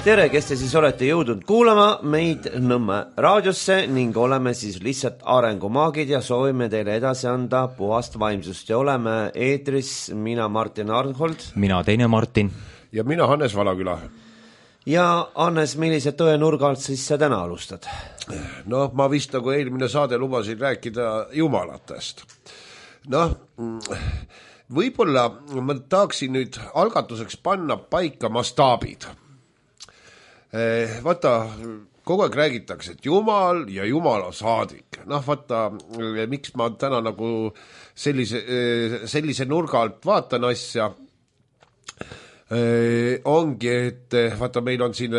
Tere, kes te siis olete jõudnud kuulama meid Nõmme raadiosse ning oleme siis lihtsalt arengumaagid ja soovime teile edasi anda puhast vaimsust ja oleme eetris mina Martin Arnhold. Mina teine Martin. Ja mina Hannes Valaküla. Ja Hannes, millise tõenurga alt siis sa täna alustad? No ma vist nagu eelmine saade lubasin rääkida jumalatest. Võib-olla ma tahaksin nüüd algatuseks panna paika mastaabid. Vaata, kogu aeg räägitakse, et Jumal ja Jumala saadik. Vaata, miks ma täna nagu sellise nurga alt vaatan asja, ongi, et vaata, meil on siin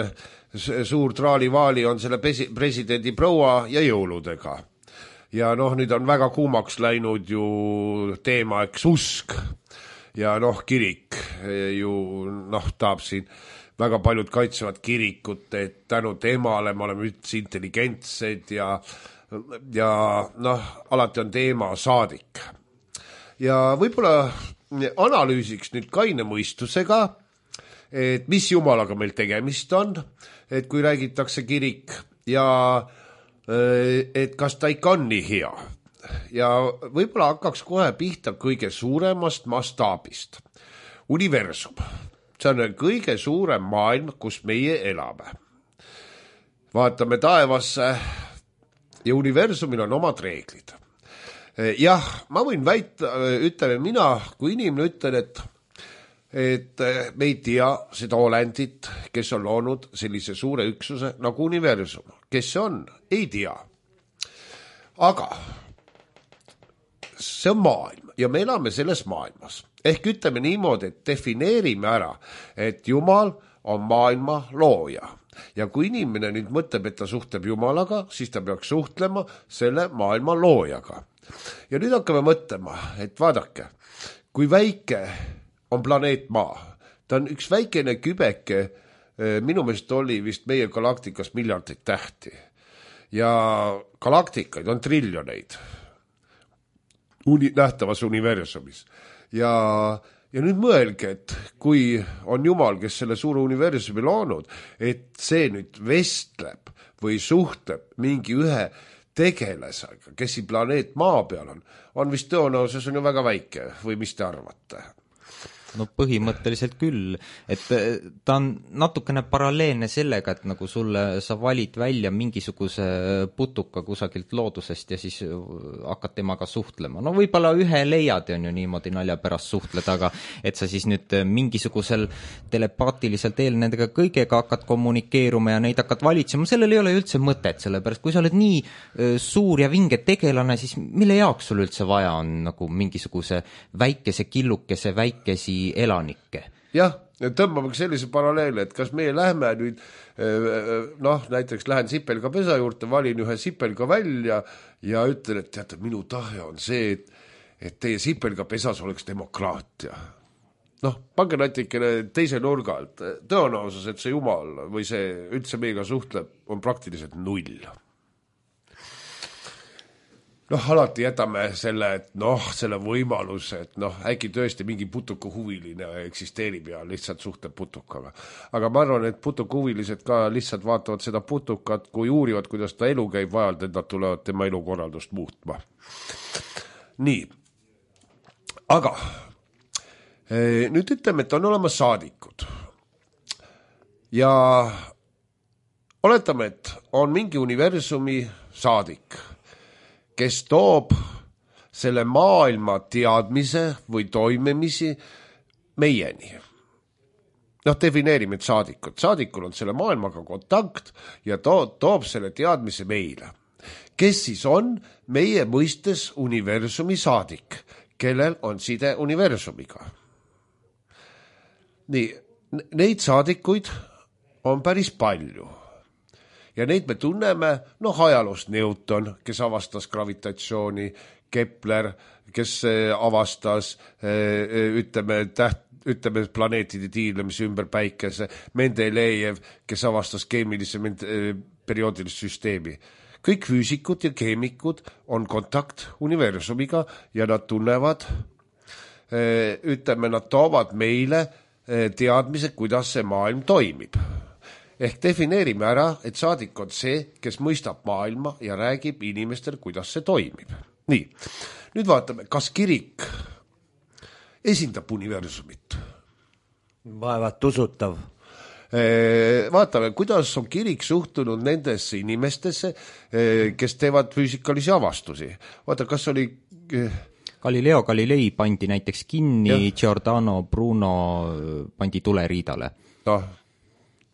suur traalivaali on selle presidendi proua ja jõuludega. Ja nüüd on väga kuumaks läinud ju teema, eks usk ja kirik ju tahab siin väga paljud kaitsevad kirikut, et tänu temale me oleme üldse intelligentsed ja alati on teema saadik. Ja võib-olla analüüsiks nüüd kaine mõistusega, et mis jumalaga meil tegemist on, et kui räägitakse kirik ja et kas ta ikka on nii hea. Ja võib-olla hakkaks kohe pihta kõige suuremast mastaabist. Universum. See on kõige suurem maailm, kus meie elame. Vaatame taevasse ja universumil on omad reeglid. Jah, ma võin väita, ütleme mina, kui inimene ütlen, et me ei tea seda olendit, kes on loonud sellise suure üksuse nagu universum. Kes see on? Ei tea. Aga see on maailm ja me elame selles maailmas. Ehk ütleme niimoodi, et defineerime ära, et Jumal on maailma looja. Ja kui inimene nüüd mõtleb, et ta suhtleb Jumalaga, siis ta peaks suhtlema selle maailma loojaga. Ja nüüd hakkame mõtlema, et vaadake, kui väike on planeet Maa. Ta on üks väikene kübeke, minu meelest oli vist meie galaktikas miljardeid tähti. Ja galaktikaid on triljoneid nähtavas universumis. Ja nüüd mõelge, et kui on Jumal, kes selle suure universumi loonud, et see nüüd vestleb või suhtleb mingi ühe tegelasega, kes siin planeet Maa peal on vist tõenäosus on ju väga väike või mis te arvate? No põhimõtteliselt küll, et ta on natukene paralleelne sellega, et nagu sa valid välja mingisuguse putuka kusagilt loodusest ja siis hakkad temaga suhtlema. No võib-olla ühe leiad on ju niimoodi nalja pärast suhtled, aga et sa siis nüüd mingisugusel telepaatiliselt nendega kõigega hakkad kommunikeeruma ja neid hakkad valitsema, sellel ei ole üldse mõtet, sellepärast kui sa oled nii suur ja vinge tegelane, siis mille jaoks sul üldse vaja on nagu mingisuguse väikese killukese väikesi elanikke. Jah, tõmbame sellise paralleele, et kas meie lähme nüüd, näiteks lähen sipelga pesa juurde, valin ühe sipelga välja ja ütlen, et teate, minu tahe on see, et teie sipelga pesas oleks demokraatia. Pange natikene teise nurga alt. Tõenäosus, et see Jumal või see üldse meiega suhtleb, on praktiliselt null. Alati jätame selle, et selle võimaluse, et äkki tõesti mingi putuka huviline eksisteerib ja lihtsalt suhtleb putukaga. Aga ma arvan, et putuka huvilised ka lihtsalt vaatavad seda putukat, kui uurivad, kuidas ta elu käib vajalt, et nad tulevad tema elukorraldust muutma. Nii. Aga nüüd ütleme, et on olemas saadikud. Ja oletame, et on mingi universumi saadik, kes toob selle maailma teadmise või toimemisi meieni. Defineerime saadikut. Saadikul on selle maailmaga kontakt ja toob selle teadmise meile. Kes siis on meie mõistes universumi saadik, kellel on side universumiga? Nii, neid saadikuid on päris palju. Ja neid me tunneme, ajaloost Newton, kes avastas gravitatsiooni, Kepler, kes avastas, ütleme planeetide tiirlemise ümber päikese, Mendelejev, kes avastas keemilise perioodilist süsteemi. Kõik füüsikud ja keemikud on kontakt universumiga ja nad tunnevad, ütleme, nad toovad meile teadmise, kuidas see maailm toimib. ehk defineerime ära, et saadik on see, kes mõistab maailma ja räägib inimestel, kuidas see toimib. Nii, nüüd vaatame, kas kirik esindab universumit. Vaevat usutav. Vaatame, kuidas on kirik suhtunud nendesse inimestesse, kes teevad füüsikalisi avastusi. Vaata, kas oli... Galileo Galilei pandi näiteks kinni, Giordano Bruno pandi tuleriidale. Noh,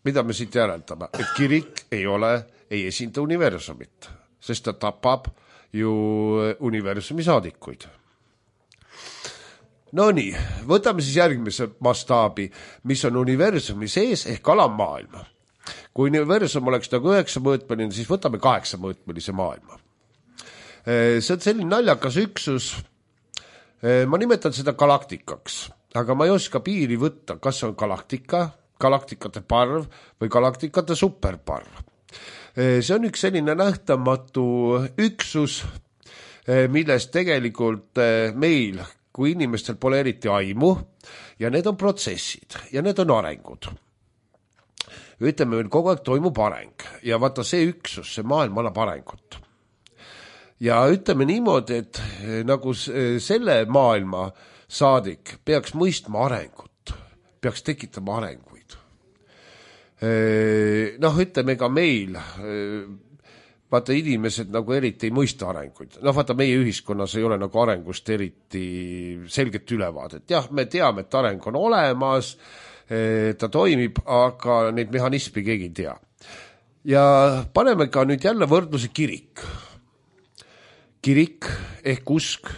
mida me siit järeldame? Et kirik ei esinda universumit, sest ta tapab ju universumi saadikuid. No nii, võtame siis järgmise mastaabi, mis on universumi sees ehk alammaailma. Kui universum oleks nagu 9-mõõtmeline, siis võtame 8-mõõtmelise maailma. See on selline naljakas üksus, ma nimetan seda galaktikaks, aga ma ei oska piiri võtta, kas on galaktika, galaktikate parv või galaktikate superparv. See on üks selline nähtamatu üksus, millest tegelikult meil kui inimestel pole eriti aimu ja need on protsessid ja need on arengud. Ütleme, meil kogu aeg toimub areng ja vaata see üksus, see maailm annab arengut. Ja ütleme niimoodi, et nagu selle maailma saadik peaks mõistma arengut, peaks tekitama arenguid. Noh, ütleme ka meil... Vaata, inimesed nagu eriti ei mõista arenguid. Noh, vaata, meie ühiskonnas ei ole nagu arengust eriti selget ülevaadet. Jah, me teame, et areng on olemas, ta toimib, aga neid mehhanismi keegi ei tea. Ja paneme ka nüüd jälle võrdluse kirik. Kirik ehk usk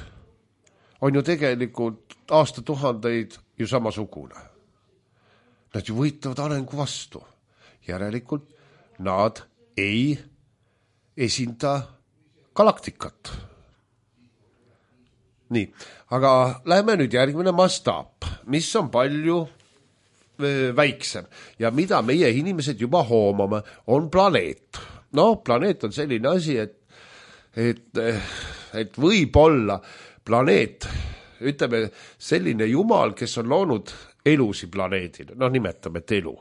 on ju tegelikult aastatuhandeid ju samasugune. Nad ju võitlevad arengu vastu. Järelikult nad ei esinda galaktikat. Nii, aga läheme nüüd järgmine mastaap, mis on palju väiksem ja mida meie inimesed juba hoomame, on planeet. No, planeet on selline asi, et võib-olla planeet, ütleme selline jumal, kes on loonud elusi planeedil, no nimetame, et elu.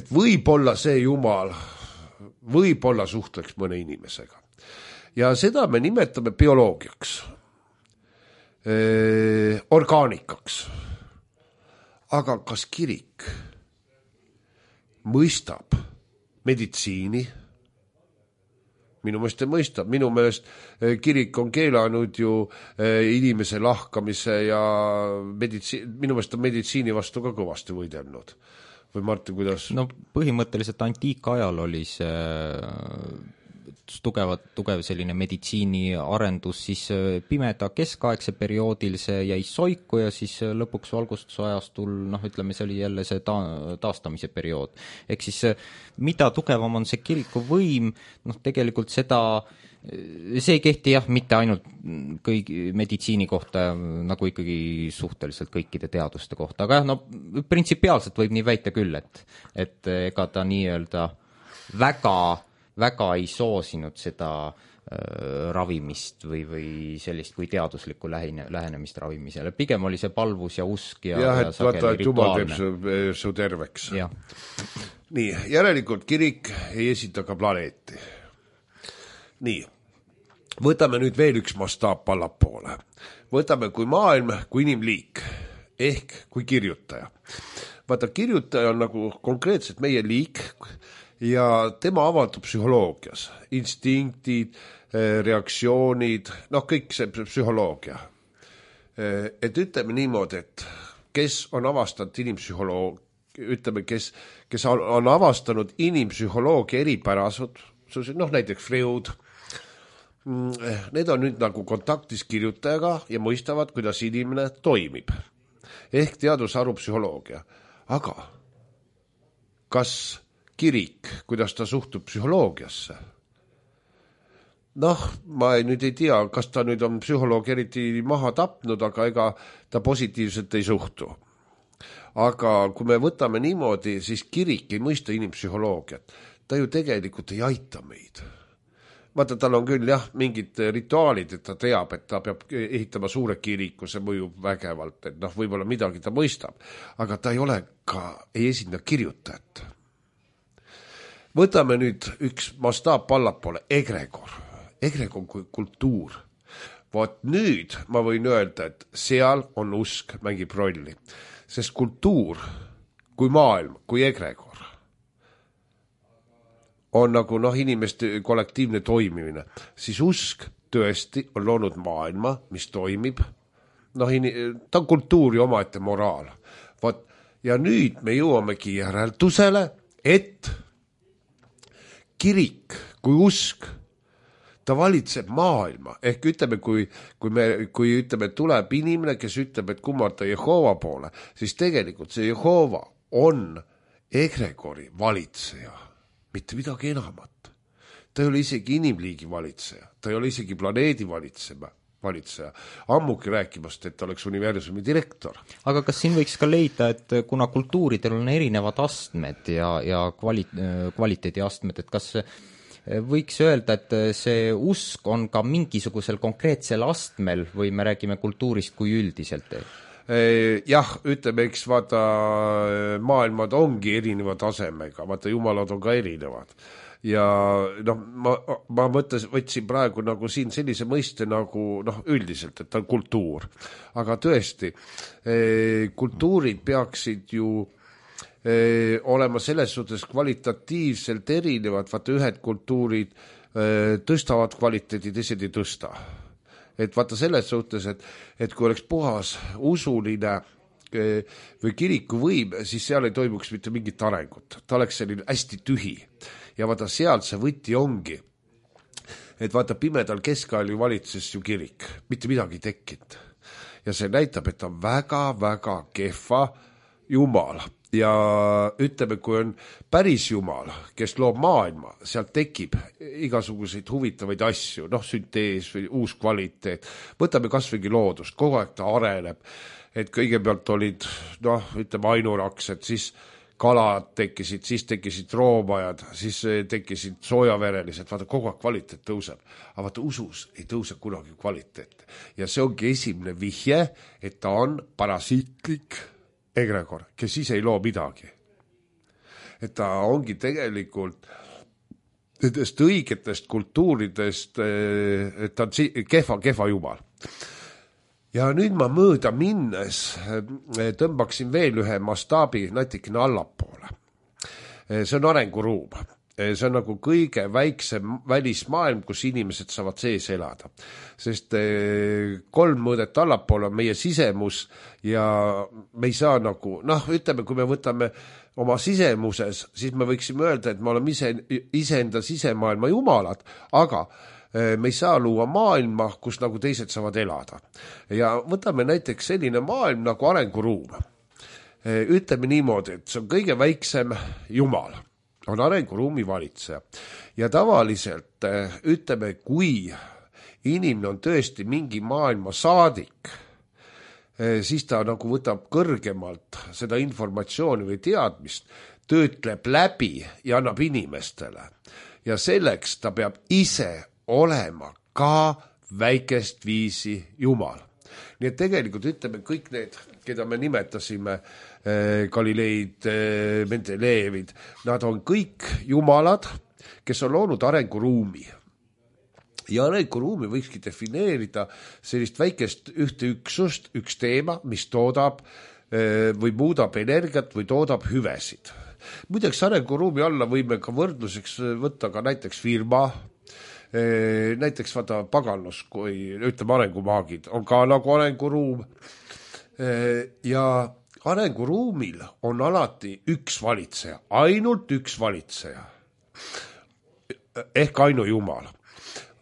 Et võib-olla see jumal võib-olla suhtleks mõne inimesega. Ja seda me nimetame bioloogiaks, orgaanikaks. Aga kas kirik mõistab meditsiini? Minu meelest ei mõista. Minu meelest kirik on keelanud ju inimese lahkamise ja minu meelest on meditsiini vastu ka kõvasti võidelnud. Või Martin, kuidas? No põhimõtteliselt antiikajal oli see tugev selline meditsiini arendus, siis pimeda keskaegse perioodil see jäi soiku ja siis lõpuks valgustusajastul, noh ütleme, see oli jälle see taastamise periood. Ehk siis mida tugevam on see kiriku võim, noh tegelikult see ei kehti jah, mitte ainult kõigi meditsiini kohta, nagu ikkagi suhteliselt kõikide teaduste kohta, aga jah, no printsipiaalselt võib nii väita küll, et ega ta nii-öelda väga ei soosinud seda ravimist või sellist kui teaduslikku lähenemist ravimisele. Pigem oli see palvus ja usk ja et vaata, et jumal teeb su terveks. Ja. Nii, järelikult kirik ei esita ka planeeti. Nii, võtame nüüd veel üks mastaap allapoole. Võtame kui maailm, kui inimliik, ehk kui kirjutaja. Vaata, kirjutaja on nagu konkreetselt meie liik ja tema avaldub psühholoogias. Instinktid, reaktsioonid, noh kõik see psühholoogia. Et ütleme niimoodi, et kes on avastanud ütleme, kes on avastanud inimpsühholoogia eripärasud, noh näiteks Freud, need on nüüd nagu kontaktis kirjutajaga ja mõistavad, kuidas inimene toimib. Ehk teadusharu psühholoogia. Aga kas kirik, kuidas ta suhtub psühholoogiasse? Noh, ma nüüd ei tea, kas ta nüüd on psühholoog eriti maha tapnud, aga ega ta positiivselt ei suhtu. Aga kui me võtame niimoodi, siis kirik ei mõista inimpsühholoogiat. Ta ju tegelikult ei aita meid. Vaata, tal on küll jah, mingid rituaalid, et ta teab, et ta peab ehitama suure kiriku, see mõjub vägevalt, et noh, võib-olla midagi ta mõistab, aga ta ei esinda kirjutajat. võtame nüüd üks mastaap allapoole, egregor. Egregor kui kultuur. Vot nüüd ma võin öelda, et seal on usk mängib rolli. Sest kultuur kui maailm, kui egregor on nagu inimeste kollektiivne toimimine, siis usk tõesti on loonud maailma, mis toimib. Ta on kultuuri omaette moraal. Vot, ja nüüd me jõuamegi järeldusele, et kirik kui usk, ta valitseb maailma. Ehk ütleme, kui ütleme, tuleb inimene, kes ütleb, et kummarda Jehova poole, siis tegelikult see Jehova on egregori valitseja, mitte midagi enamat. Ta ei ole isegi inimliigi valitseja, ta ei ole isegi planeedi valitseja, ammugi rääkimast, et ta oleks universumi direktor. Aga kas siin võiks ka leida, et kuna kultuuridel on erinevad astmed ja kvaliteediastmed, et kas võiks öelda, et see usk on ka mingisugusel konkreetsel astmel või me räägime kultuurist kui üldiselt? Jah, ütleme, eks vaata, maailmad ongi erineva tasemega, vaata, jumalad on ka erinevad. Ja ma võtsin praegu nagu siin sellise mõiste nagu üldiselt, et ta on kultuur. Aga tõesti, kultuurid peaksid ju olema selles suhtes kvalitatiivselt erinevad, vaata ühed kultuurid tõstavad kvaliteedi, teised ei tõsta. Et vaata selles suhtes, et kui oleks puhas usuline või kiriku võim, siis seal ei toimuks mitte mingit arengut. Ta oleks selline hästi tühi. Ja vaata seal see võti ongi, et vaata pimedal keskajal ju valitses ju kirik, mitte midagi tekkinud. Ja see näitab, et ta on väga-väga kehva jumal. Ja ütleme, kui on päris jumal, kes loob maailma, sealt tekib igasuguseid huvitavaid asju, süntees või uus kvaliteet. Võtame kasvõigi loodust, kogu aeg ta areneb, et kõigepealt olid, ütleme ainuraksed, siis kalad tekkisid, siis tekkisid roomajad, siis tekkisid soojaverelised, vaata kogu aeg kvaliteet tõuseb. Aga vaata usus ei tõuse kunagi kvaliteet. Ja see ongi esimene vihje, et ta on parasiitlik egregor, kes ise ei loo midagi. Et ta ongi tegelikult nendest õigetest kultuuridest, et ta on kehva jumal. Ja nüüd ma mööda minnes tõmbaksin veel ühe mastaabi natikene allapoole. See on arenguruum. See on nagu kõige väiksem välismaailm, kus inimesed saavad sees elada. Sest 3 mõõdet allapoole on meie sisemus ja me ei saa nagu, ütleme, kui me võtame oma sisemuses, siis me võiksime öelda, et me oleme iseenda sisemaailma jumalad, aga me ei saa luua maailma, kus nagu teised saavad elada. Ja võtame näiteks selline maailm nagu arenguruum. Ütleme niimoodi, et see on kõige väiksem jumal. On arenguruumi valitseja. Ja tavaliselt, ütleme, kui inimene on tõesti mingi maailma saadik, siis ta nagu võtab kõrgemalt seda informatsiooni või teadmist, töötleb läbi ja annab inimestele. Ja selleks ta peab ise olema ka väikest viisi jumal. Nii et tegelikult ütleme kõik need, keda me nimetasime, Galileid, Mendeleevid, nad on kõik jumalad, kes on loonud arenguruumi. Ja arenguruumi võikski defineerida sellist väikest ühte üksust, üks teema, mis toodab või muudab energiat või toodab hüvesid. Muideks arenguruumi alla võime ka võrdluseks võtta ka näiteks firma, näiteks vaata paganlus, kui ütleme arengumaagid, on ka nagu arenguruum ja arenguruumil on alati üks valitseja, ainult üks valitseja ehk ainujumal.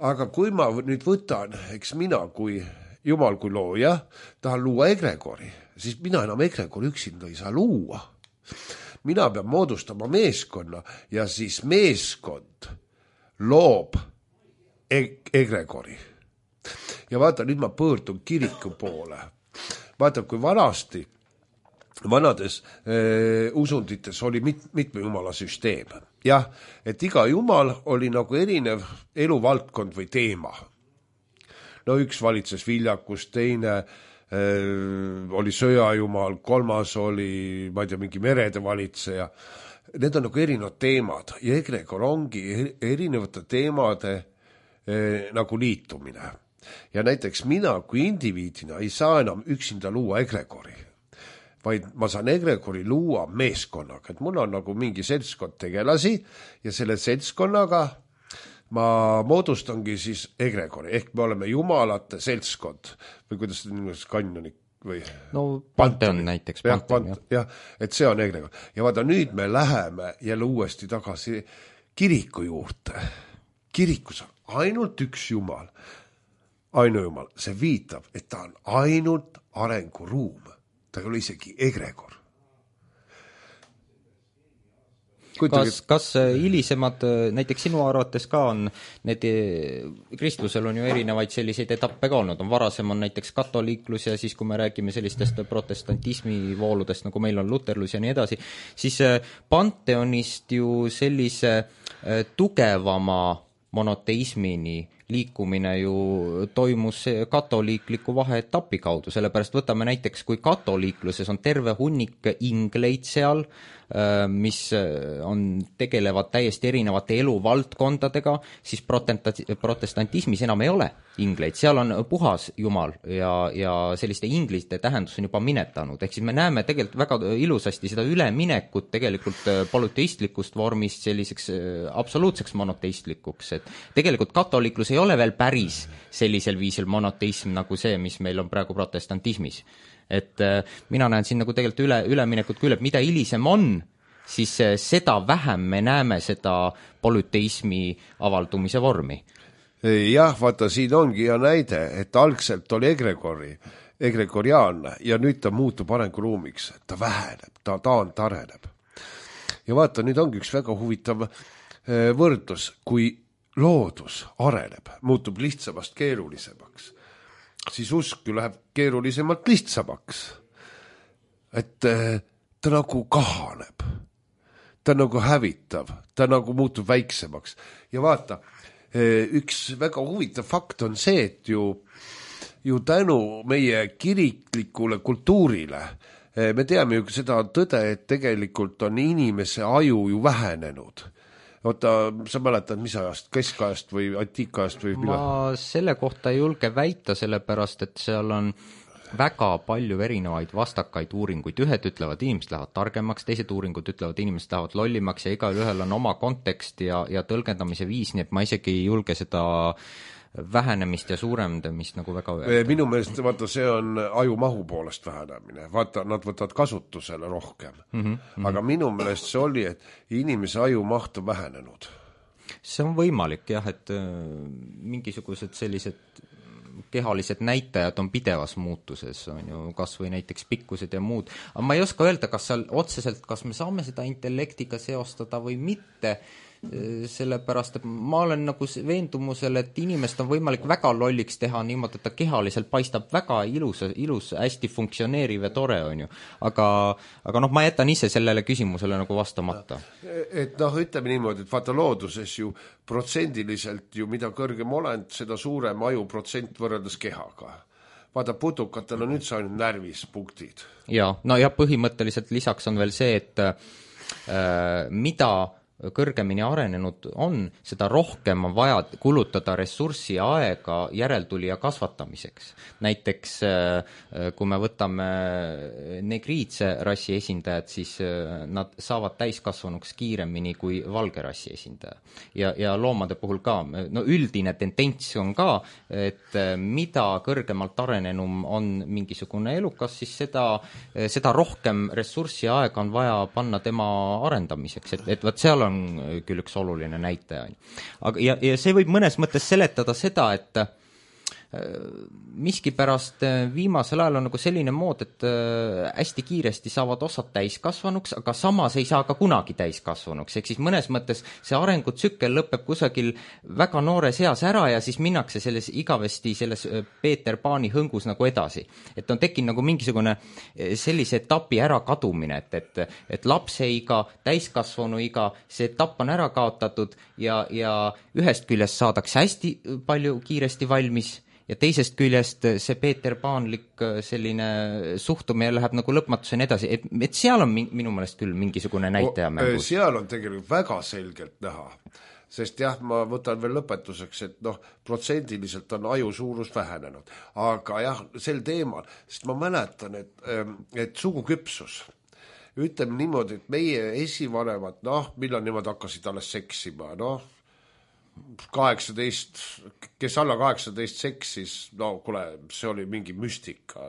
Aga kui ma nüüd võtan, eks mina kui jumal kui looja tahan luua egregori, siis mina enam egregori üksinda ei saa luua. Mina pean moodustama meeskonna ja siis meeskond loob egregori. Ja vaata, nüüd ma pöördun kiriku poole. Vaata, kui vanades usundites oli mitme jumala süsteem. Jah, et iga jumal oli nagu erinev eluvaldkond või teema. No üks valitses viljakus, teine oli sõjajumal, kolmas oli, ma ei tea, mingi merede valitseja. need on nagu erinevad teemad ja egregor ongi erinevate teemade nagu liitumine. Ja näiteks mina kui indiviidina ei saa enam üksinda luua egregori, vaid ma saan egregori luua meeskonnaga, et mul on nagu mingi seltskond tegelasi ja selle seltskonnaga ma moodustangi siis egregori, ehk me oleme jumalate seltskond või kuidas seda niimoodi kanjonik või no Pantheon näiteks. Jah, et see on egregor. Ja vaata, nüüd me läheme jälle uuesti tagasi kiriku juurde. Kirikus on ainult üks jumal, ainujumal. See viitab, et ta on ainult arenguruum. Ta ei ole isegi egregor. Kas hilisemad, näiteks sinu arvates ka on need, kristlusel on ju erinevaid selliseid etappe ka olnud, varasem on näiteks katoliiklus ja siis kui me räägime sellistest protestantismi vooludest, nagu meil on luterlus ja nii edasi, siis Pantheonist ju sellise tugevama monoteismini liikumine ju toimus katoliikliku vaheetapi kaudu, sellepärast võtame näiteks, kui katoliikluses on terve hunnik ingleid seal, mis tegelevad täiesti erinevate eluvaldkondadega, siis protestantismis enam ei ole ingleid, seal on puhas jumal ja selliste inglite tähendus on juba minetanud, ehk siis me näeme tegelikult väga ilusasti seda üleminekut tegelikult polüteistlikust vormist selliseks absoluutseks monoteistlikuks, et tegelikult katoliiklus ei ole veel päris sellisel viisil monoteism nagu see, mis meil on praegu protestantismis. Et mina näen siin nagu tegelikult üleminekut küll, et mida hilisem on, siis seda vähem me näeme seda polüteismi avaldumise vormi. Jah, vaata, siin ongi hea näide, et algselt oli egregoriaanne ja nüüd ta muutub arenguruumiks, ta väheneb, ta areneb. Ja vaata, nüüd ongi üks väga huvitav võrdlus, kui loodus areneb, muutub lihtsamast keerulisemaks, siis usk ju läheb keerulisemalt lihtsamaks. Et ta nagu kahaneb, ta nagu hävitav, ta nagu muutub väiksemaks. Ja vaata, üks väga huvitav fakt on see, et ju tänu meie kiriklikule kultuurile me teame ju seda tõde, et tegelikult on inimese aju ju vähenenud. Oota, sa mäletad, mis ajast, keskajast või antiikajast või millal? Ma selle kohta ei julge väita, sellepärast, et seal on väga palju erinevaid vastakaid uuringuid. Ühed ütlevad, inimesed lähevad targemaks, teised uuringud ütlevad, inimesed lähevad lollimaks ja igal ühel on oma kontekst ja tõlgendamise viis, nii et ma isegi ei julge seda vähenemist ja suurendamist nagu väga öelda. Minu meelest, vaata, see on ajumahu poolest vähenemine. Vaata, nad võtavad kasutusele rohkem. Aga minu meelest see oli, et inimese ajumaht on vähenenud. See on võimalik, jah, et mingisugused sellised kehalised näitajad on pidevas muutuses, on ju, kas või näiteks pikkused ja muud. Aga ma ei oska öelda, kas seal otseselt, kas me saame seda intellektiga seostada või mitte, sellepärast, et ma olen nagu veendumusel, et inimest on võimalik väga lolliks teha niimoodi, et ta kehaliselt paistab väga ilus, hästi funktsioneeriv ja tore, on ju. Aga noh, ma jätan ise sellele küsimusele nagu vastamata. Et noh, ütleme niimoodi, et vaata looduses ju protsendiliselt ju mida kõrgem olend, seda suurem aju protsent võrreldes kehaga. Vaata, putukatel on üldse ainult närvispunktid. Ja, no ja põhimõtteliselt lisaks on veel see, et mida kõrgemini arenenud on, seda rohkem on vaja kulutada ressurssi ja aega järeltulija kasvatamiseks. Näiteks kui me võtame negriidse rassi esindajad, siis nad saavad täiskasvanuks kiiremini kui valge rassi esindaja. Ja loomade puhul ka, no üldine tendents on ka, et mida kõrgemalt arenenum on mingisugune elukas, siis seda rohkem ressurssi ja aega on vaja panna tema arendamiseks, et võt seal on küll üks oluline näitaja. Aga, ja see võib mõnes mõttes seletada seda, et miskipärast viimasel ajal on nagu selline mood, et hästi kiiresti saavad osad täiskasvanuks, aga samas ei saa ka kunagi täiskasvanuks. Ehk siis mõnes mõttes see arengutsükkel lõpeb kusagil väga noores eas ära ja siis minnakse igavesti selles Peeter Paani hõngus nagu edasi. Et on tekkinud nagu mingisugune sellise etapi ära kadumine, et lapseiga, täiskasvanuiga, see etapp on ära kaotatud ja ühest küljest saadakse hästi palju kiiresti valmis ja teisest küljest see peeterpaanlik selline suhtumine läheb nagu lõpmatuseni edasi, et seal on minu meelest küll mingisugune näitaja mängus. Seal on tegelikult väga selgelt näha, sest jah, ma võtan veel lõpetuseks, et protsendiliselt on aju suurus vähenenud, aga jah, sel teemal, sest ma mäletan, et suguküpsus, ütleme niimoodi, et meie esivanemad, millal nemad hakkasid alles seksima, 18, kes alla 18 seksis, kuule, see oli mingi müstika,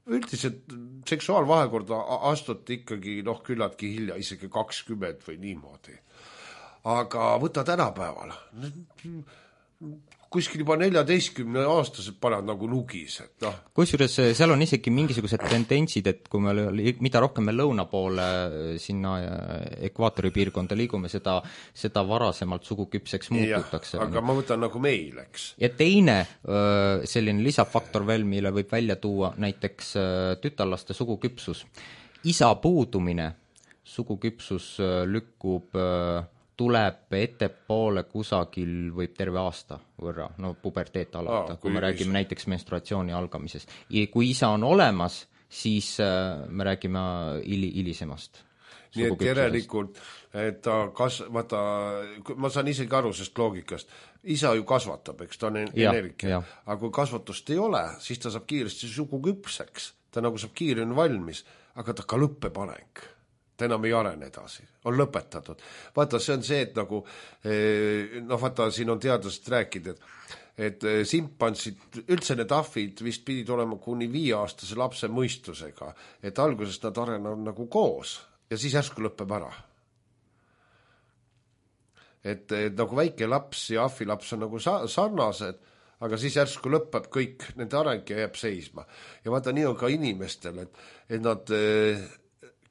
üldiselt seksuaalvahekorda astuti ikkagi küllaltki hilja, isegi 20 või niimoodi. Aga võta tänapäeval, kuskil juba 14-aastased panevad nagu nugis, et Kusjuures seal on isegi mingisugused tendentsid, et kui mida rohkem me lõuna poole sinna ekvaatori piirkonda liigume, seda varasemalt suguküpseks muututakse. Aga ma võtan nagu meil, eks. Ja teine selline lisafaktor veel, mille võib välja tuua näiteks tütarlaste suguküpsus. Isa puudumine, suguküpsus lükkub tuleb ettepoole kusagil võib terve aasta võrra, puberteet alata, kui me räägime näiteks menstruatsiooni algamisest. Ja kui isa on olemas, siis me räägime hilisemast. Nii et järelikult, et vaata, ma saan isegi aru sest loogikast, isa ju kasvatab, eks ta on energia, aga kui kasvatust ei ole, siis ta saab kiiresti suguküpseks, ta nagu saab kiiremini valmis, aga ta ka lõppeb areng. Ta enam ei arene edasi, on lõpetatud. Vaata, see on see, et nagu, vaata, siin on teadlased rääkida, et simpansid, üldse need ahvid vist pidid olema kuni 5-aastase lapse mõistusega, et alguses nad arenevad nagu koos ja siis järsku lõpeb ära. Et nagu väike laps ja ahvilaps on nagu sarnased, aga siis järsku lõpeb kõik nende areng ja jääb seisma. Ja vaata, nii on ka inimestel, et nad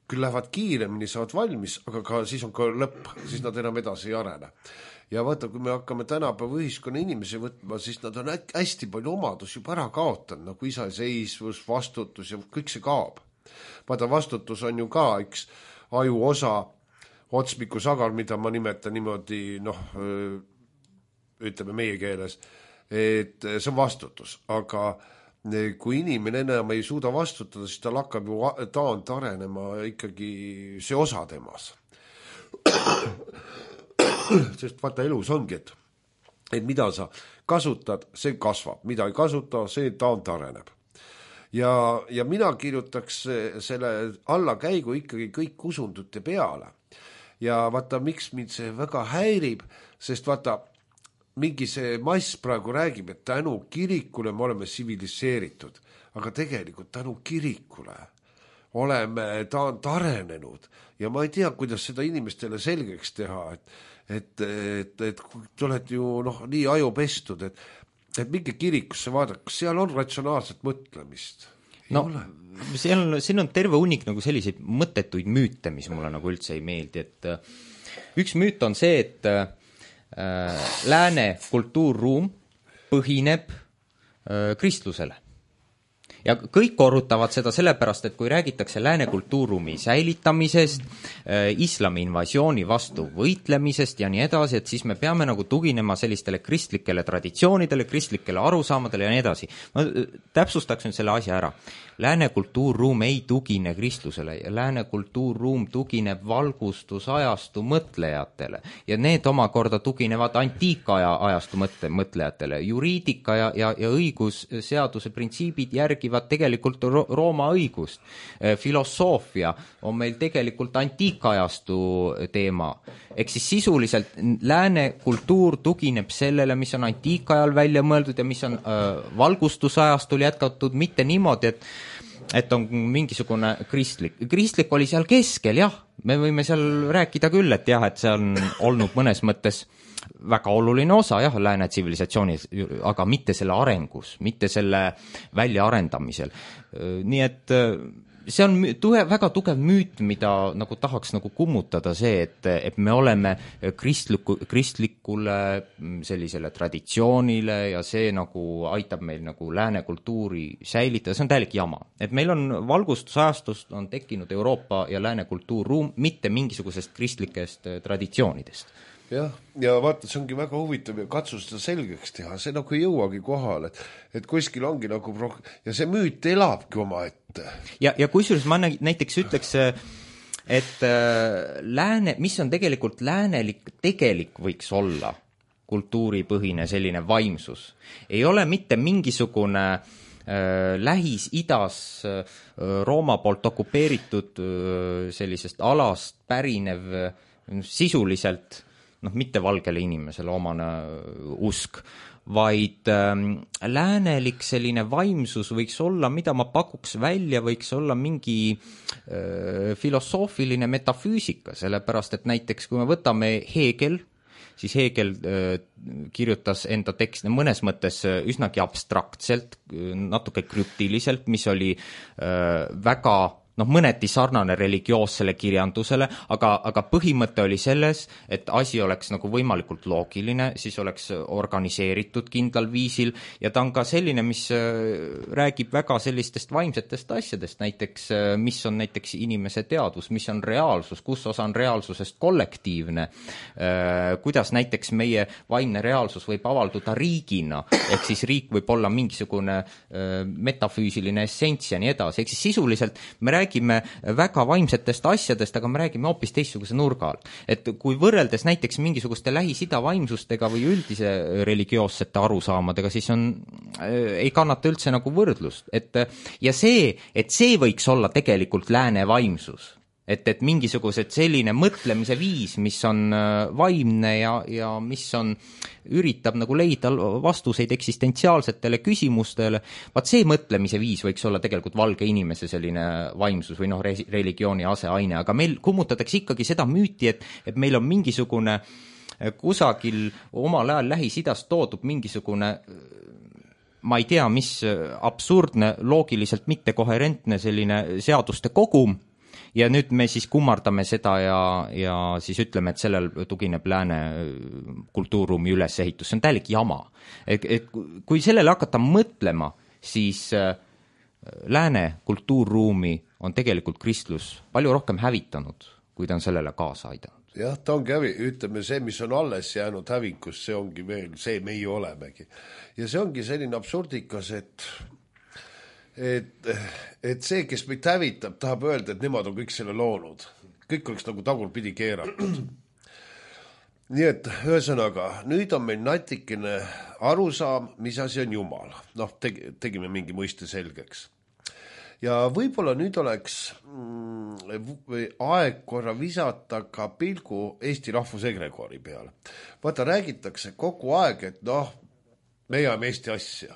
küll lähevad kiiremini, saavad valmis, aga ka siis on ka lõpp, siis nad enam edasi ei arene. Ja vaata, kui me hakkame tänapäeva ühiskonna inimesi võtma, siis nad on hästi palju omadus juba ära kaotanud, nagu iseseisvus, vastutus ja kõik see kaob. Vaata, vastutus on ju ka üks aju osa, otsmikusagar, mida ma nimetan niimoodi, ütleme meie keeles, et see on vastutus, aga kui inimene enam ei suuda vastutada, siis tal hakkab ju taand arenema ikkagi see osa temas. Sest vaata, elus ongi, et mida sa kasutad, see kasvab, mida ei kasuta, see taand areneb. Ja mina kirjutaks selle allakäigu ikkagi kõik usundute peale. Ja vaata, miks mind see väga häirib, sest vaata, mingi see mass praegu räägib, et tänu kirikule me oleme tsiviliseeritud, aga tegelikult tänu kirikule oleme taand arenenud ja ma ei tea, kuidas seda inimestele selgeks teha, et te olete ju nii ajupestud, et mingi kirikusse vaadata, kas seal on ratsionaalset mõtlemist? Siin on terve hunnik nagu selliseid mõttetuid müüte, mis mulle nagu üldse ei meeldi, et üks müüt on see, et lääne kultuurruum põhineb kristlusele. Ja kõik korrutavad seda sellepärast, et kui räägitakse lääne kultuurruumi säilitamisest, islami invasiooni vastu võitlemisest ja nii edasi, et siis me peame nagu tuginema sellistele kristlikele traditsioonidele, kristlikele arusaamadele ja nii edasi. Ma täpsustaks nüüd selle asja ära. Lääne kultuurruum ei tugine kristlusele ja lääne kultuurruum tugineb valgustusajastu mõtlejatele ja need omakorda tuginevad antiikaja ajastu mõtlejatele. Juriidika ja õigusseaduse printsiibid järgivad tegelikult Rooma õigust. Filosoofia on meil tegelikult antiikajastu teema. Ehk siis sisuliselt lääne kultuur tugineb sellele, mis on antiikajal välja mõeldud ja mis on valgustusajastul jätkatud, mitte niimoodi, et on mingisugune kristlik. Kristlik oli seal keskel, jah, me võime seal rääkida küll, et jah, et see on olnud mõnes mõttes väga oluline osa, jah, lääne tsivilisatsioonis, aga mitte selle arengus, mitte selle väljaarendamisel. Nii et see on väga tugev müüt, mida nagu tahaks nagu kummutada see, et me oleme kristlikule sellisele traditsioonile ja see nagu aitab meil nagu lääne kultuuri säilitada, see on täielik jama. Et meil on valgustusajastust on tekkinud Euroopa ja lääne kultuurruum, mitte mingisugusest kristlikest traditsioonidest. jah, ja vaata, see ongi väga huvitav ja katsu seda selgeks teha, see nagu ei jõuagi kohale, et kuskil ongi nagu ja see müüt elabki oma ette. Ja kusjuures ma näiteks ütleks, et mis on tegelikult tegelik võiks olla kultuuripõhine selline vaimsus. Ei ole mitte mingisugune Lähis-Idas Rooma poolt okupeeritud sellisest alast pärinev sisuliselt, mitte valgele inimesele omane usk, vaid läänelik selline vaimsus võiks olla, mida ma pakuks välja, võiks olla mingi filosoofiline metafüüsika, sellepärast et näiteks kui me võtame Hegel, siis Hegel kirjutas enda teksti mõnes mõttes üsnagi abstraktselt, natuke krüptiliselt, mis oli väga mõneti sarnane religioossele kirjandusele, aga põhimõte oli selles, et asi oleks nagu võimalikult loogiline, siis oleks organiseeritud kindlal viisil ja ta on ka selline, mis räägib väga sellistest vaimsetest asjadest, näiteks mis on näiteks inimese teadvus, mis on reaalsus, kus osa on reaalsusest kollektiivne, kuidas näiteks meie vaimne reaalsus võib avalduda riigina, ehk siis riik võib olla mingisugune metafüüsiline essents ja nii edasi, ehk siis sisuliselt me räägime väga vaimsetest asjadest, aga me räägime hoopis teistsuguse nurga all. Et kui võrreldes näiteks mingisuguste Lähis-Ida vaimsustega või üldise religioossete arusaamadega, siis ei kannata üldse nagu võrdlust. Ja see võiks olla tegelikult lääne vaimsus. Et mingisugused selline mõtlemise viis, mis on vaimne ja mis üritab nagu leida vastuseid eksistentsiaalsetele küsimustele, vaat see mõtlemise viis võiks olla tegelikult valge inimese selline vaimsus või religiooni aseaine, aga meil kummutatakse ikkagi seda müüti, et meil on mingisugune kusagil omal ajal Lähis-Idast toodud mingisugune ma ei tea, mis absurdne, loogiliselt mittekoherentne selline seaduste kogum, ja nüüd me siis kummardame seda ja siis ütleme, et sellel tugineb lääne kultuurruumi ülesehitus. See on täielik jama. Et kui sellele hakata mõtlema, siis lääne kultuurruumi on tegelikult kristlus palju rohkem hävitanud, kui ta on sellele kaasa aidanud. Jah, ta ongi ütleme, see, mis on alles jäänud hävingus, see ongi veel see, meie olemegi. Ja see ongi selline absurdikas, et see, kes meid hävitab, tahab öelda, et nemad on kõik selle loonud. Kõik oleks nagu tagurpidi keeratud. Nii et ühesõnaga, nüüd on meil natikene arusaam, mis asi on Jumal. Tegime mingi mõiste selgeks. Ja võib-olla nüüd oleks aeg korra visata ka pilgu Eesti rahvusegregoori peale. Vaata, räägitakse kogu aeg, et me jääme Eesti asja.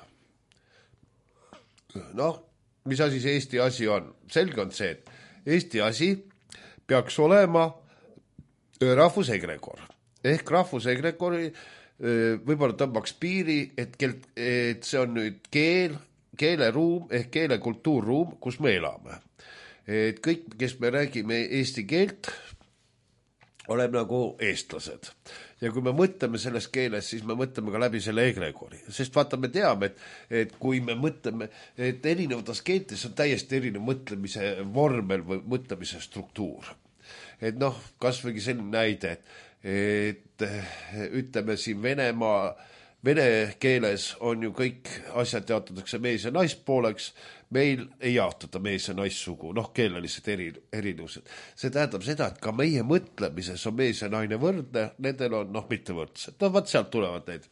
Mis asi see Eesti asi on? Selge on see, et Eesti asi peaks olema rahvusegregor. Ehk rahvusegregori võib-olla tõmbaks piiri, et see on nüüd keeleruum ehk keelekultuurruum, kus me elame. Et kõik, kes me räägime eesti keelt, oleme nagu eestlased. Ja kui me mõtleme selles keeles, siis me mõtleme ka läbi selle egregori. Sest vaata, me teame, et kui me mõtleme, et erinevates keeltes on täiesti erinev mõtlemise vormel või mõtlemise struktuur. Et kas võigi selline näide, et ütleme siin vene keeles on ju kõik asjad jaotatakse mees- ja naispooleks, meil ei jaotada mees- ja naissugu, keelelised erinevused. See tähendab seda, et ka meie mõtlemises on mees ja naine võrdne, nendel on mitte võrdsed. Vaat sealt tulevad need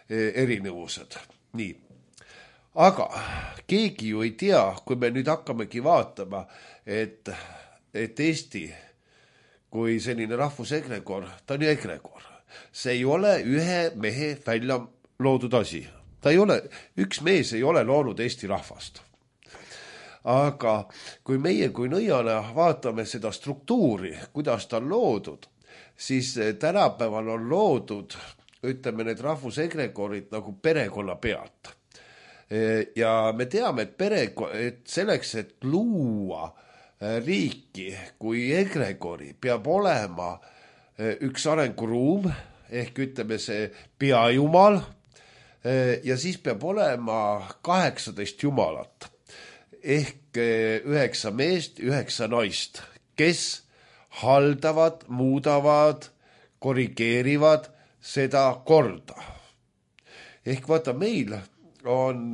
erinevused. Nii. Aga keegi ju ei tea, kui me nüüd hakkamegi vaatama, et Eesti kui selline rahvusegregor, ta on ju egregor. See ei ole ühe mehe välja loodud asi. Ta ei ole, üks mees ei ole loonud Eesti rahvast. Aga kui meie kui nõiana vaatame seda struktuuri, kuidas ta on loodud, siis tänapäeval on loodud, ütleme, need rahvusegregorid nagu perekonna pealt. Ja me teame, et selleks, et luua riiki kui egregori, peab olema üks arenguruum, ehk ütleme see peajumal, ja siis peab olema 18 jumalat, ehk 9 meest, 9 naist, kes haldavad, muudavad, korrigeerivad seda korda. Ehk vaata, meil on